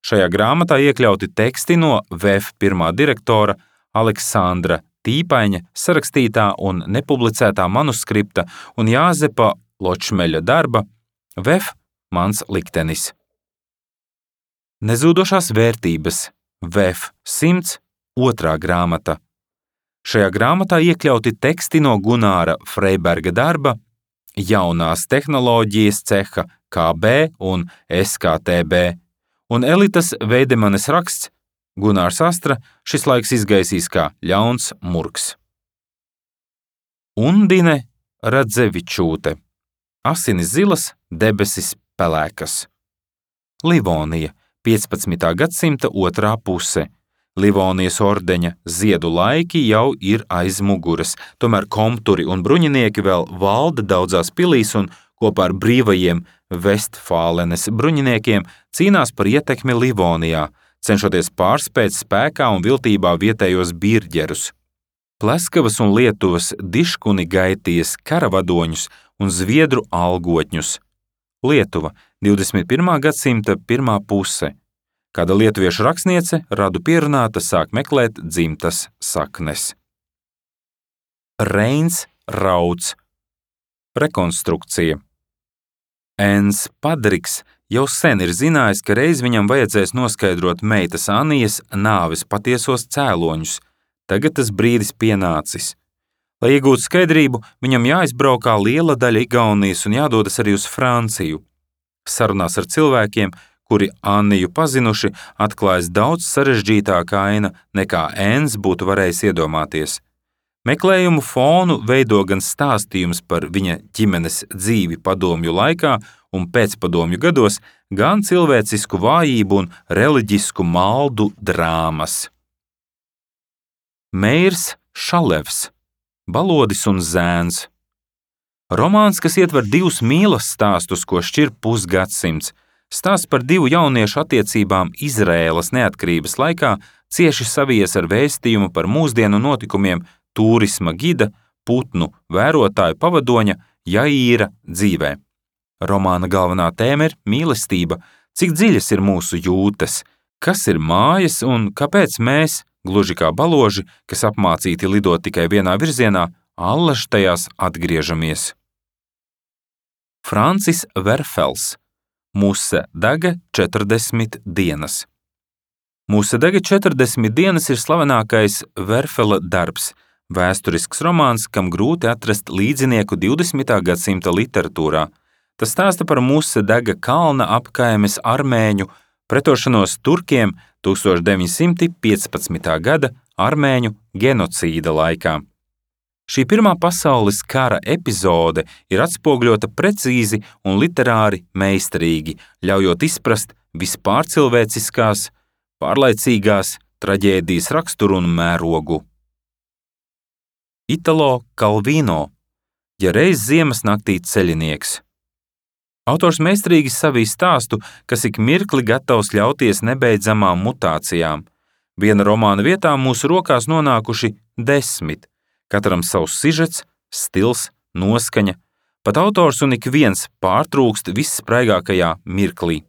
Šajā grāmatā iekļauti teksti no VF pirmā direktora Aleksandra Tīpaņa sarakstītā un nepublicētā manuskripta un Jāzepa Ločmeļa darba VF Mans liktenis. Nezūdošās vērtības VF 100 otrā grāmata. Šajā grāmatā iekļauti teksti no Gunāra Freiberga darba Jaunās tehnoloģijas ceha KB un SKTB un Elitas Veidemanes raksts Gunārs Astra šis laiks izgaisīs kā ļauns murgs. Undine Radzevičūte. Asinis zilas, debesis pelēkas. Livonija, 15. gadsimta otrā puse. Livonijas ordeņa ziedu laiki jau ir aiz muguras, tomēr komturi un bruņinieki vēl valda daudzās pilīs un kopā ar brīvajiem Vestfālenes bruņiniekiem cīnās par ietekmi Livonijā, cenšoties pārspēt spēkā un viltībā vietējos birģerus. Pleskavas un Lietuvas diškuni gaitīs karavadoņus un zviedru algotņus. Lietuva, 21. gadsimta pirmā puse. Kāda lietuviešu rakstniece, radu pierunāta, sāk meklēt dzimtas saknes. Reins Rauds. Rekonstrukcija. Ens Padriks jau sen ir zinājis, ka reiz viņam vajadzēs noskaidrot meitas Anijas nāves patiesos cēloņus. Tagad tas brīdis pienācis. Lai iegūtu skaidrību, viņam jāizbraukā liela daļa Igaunijas un jādodas arī uz Franciju. Sarunās ar cilvēkiem, kuri Anniju pazinuši, atklājas daudz sarežģītāka aina, nekā Ens būtu varējis iedomāties. Meklējumu fonu veido gan stāstījums par viņa ģimenes dzīvi padomju laikā un pēcpadomju gados, gan cilvēcisku vājību un reliģisku maldu drāmas. Meirs Šalevs. Balodis un zēns. Romāns, kas ietver divus mīlas stāstus, ko šķir pusgadsimts. Stāsts par divu jauniešu attiecībām Izraēlas neatkarības laikā cieši savies ar vēstījumu par mūsdienu notikumiem turisma gida, putnu vērotāju pavadoņa Jaīra dzīvē. Romāna galvenā tēma ir mīlestība, cik dziļas ir mūsu jūtas, kas ir mājas un kāpēc mēs, gluži kā baloži, kas apmācīti lidot tikai vienā virzienā, allaž tajās atgriežamies. Francis Verfels. Muse dega 40 dienas. Muse dega 40 dienas ir slavenākais Verfela darbs, vēsturisks romāns, kam grūti atrast līdzinieku 20. gadsimta literatūrā. Tas stāsta par Muse dega kalna apkaimes armēņu pretošanos turkiem 1915. gada armēņu genocīda laikā. Šī Pirmā pasaules kara epizode ir atspogļota precīzi un literāri meistarīgi, ļaujot izprast vispārcilvēciskās, pārlaicīgās traģēdijas raksturu un mērogu. Italo Kalvino. Ja reiz ziemas naktī ceļinieks. Autors meistarīgi savij stāstu, kas ik mirkli gatavs ļauties nebeidzamām mutācijām. Viena romāna vietā mūsu rokās nonākuši 10. Katram savs sižets, stils, noskaņa, pat autors un ik viens pārtrūkst visspraigākajā mirklī.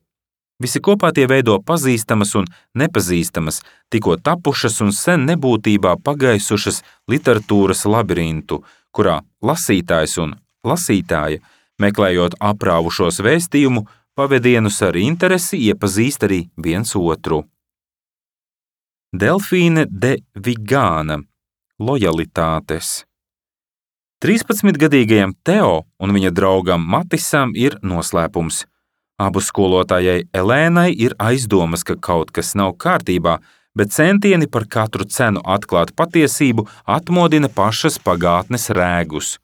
Visi kopā tie veido pazīstamas un nepazīstamas, tikko tapušas un sen nebūtībā pagaisušas literatūras labirintu, kurā lasītājs un lasītāja, meklējot aprāvušos vēstījumu, pavedienus ar interesi iepazīst arī viens otru. Delfīne de Vigāna. Lojalitātes. 13-gadīgajam Teo un viņa draugam Matisam ir noslēpums. Abu skolotājai Elēnai ir aizdomas, ka kaut kas nav kārtībā, bet centieni par katru cenu atklāt patiesību atmodina pašas pagātnes rēgus.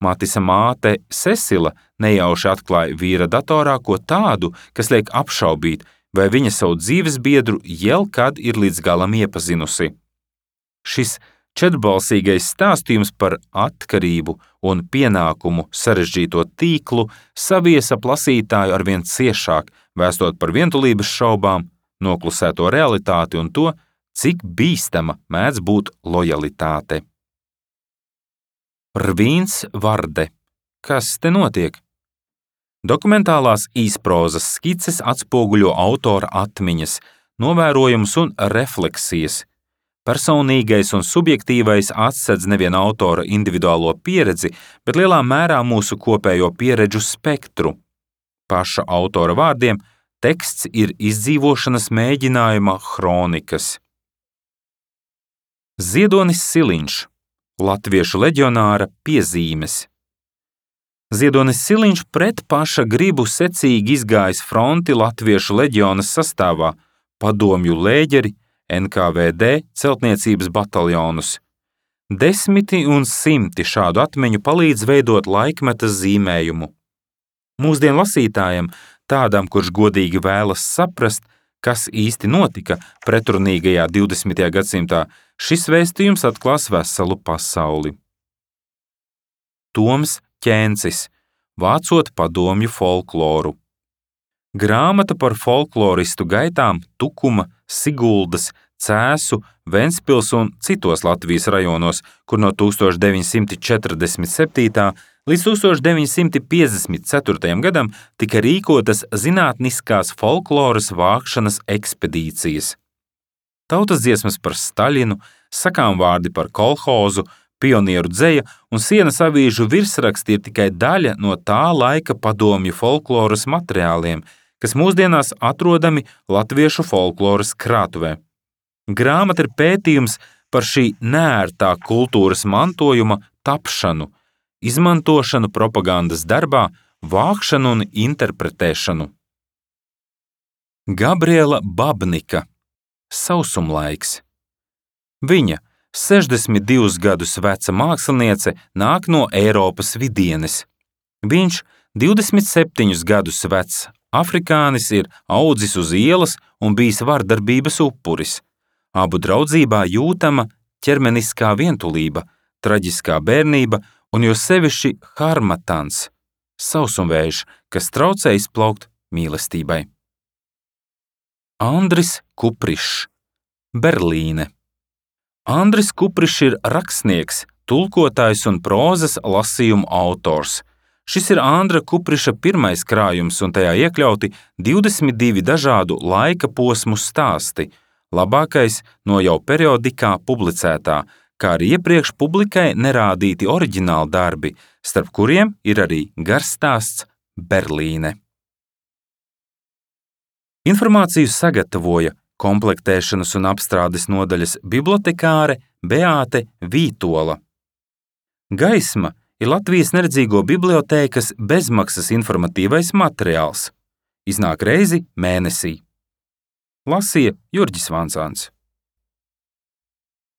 Matisa māte Cecila nejauši atklāja vīra datorā ko tādu, kas liek apšaubīt, vai viņa savu dzīves biedru jebkad ir līdz galam iepazinusi. Šis četrbalsīgais stāstījums par atkarību un pienākumu sarežģīto tīklu savies ap lasītāju arvien ciešāk, vēstot par vientulības šaubām, noklusēto realitāti un to, cik bīstama mēdz būt lojalitāte. Rvīns Varde. Kas te notiek? Dokumentālās īsprozas skices atspoguļo autora atmiņas, novērojumus un refleksijas. Personīgais un subjektīvais atsedz nevien autora individuālo pieredzi, bet lielā mērā mūsu kopējo pieredžu spektru. Paša autora vārdiem teksts ir izdzīvošanas mēģinājuma hronikas. Ziedonis Siliņš, latviešu leģionāra piezīmes. Ziedonis Siliņš pret paša gribu secīgi izgājis fronti latviešu leģionas sastāvā, padomju lēģeri, NKVD celtniecības bataljonus. Desmiti un simti šādu atmiņu palīdz veidot laikmeta zīmējumu. Mūsdienu lasītājam, tādam, kurš godīgi vēlas saprast, kas īsti notika pretrunīgajā 20. gadsimtā, šis vēstījums atklās veselu pasauli. Toms Ķēncis, vācot padomju folkloru. Grāmata par folkloristu gaitām Tukuma, Siguldas, Cēsu, Ventspils un citos Latvijas rajonos, kur no 1947. līdz 1954. gadam tika rīkotas zinātniskās folkloras vākšanas ekspedīcijas. Tautas dziesmas par Staļinu, sakāmvārdi par kolhozu, pionieru dzeja un sienas avīžu virsraksti ir tikai daļa no tā laika padomju folkloras materiāliem, kas mūsdienās atrodami latviešu folkloras krātuvē. Grāmata ir pētījums par šī neērtā kultūras mantojuma tapšanu, izmantošanu propagandas darbā, vākšanu un interpretēšanu. Gabriela Babnika, Sausumlaiks. Viņa, 62 gadus veca māksliniece, nāk no Eiropas vidienes. Viņš, 27 gadus vecs afrikānis, ir audzis uz ielas un bijis vardarbības upuris. Abu draudzībā jūtama ķermeniskā vientulība, traģiskā bērnība un jo sevišķi harmatans, sausumvējš, kas traucē izplaukt mīlestībai. Andris Kuprišs, Berlīne. Andris Kuprišs ir rakstnieks, tulkotājs un prozas lasījumu autors. Šis ir Andra Kupriša pirmais krājums un tajā iekļauti 22 dažādu laika posmu stāsti, labākais no jau periodikā publicētā, kā arī iepriekš publikai nerādīti oriģināli darbi, starp kuriem ir arī garstāsts Berlīne. Informāciju sagatavoja komplektēšanas un apstrādes nodaļas bibliotekāre Beāte Vītola. Gaisma ir Latvijas neredzīgo bibliotēkas bezmaksas informatīvais materiāls. Iznāk reizi mēnesī. Lasīja Jurģis Vansāns.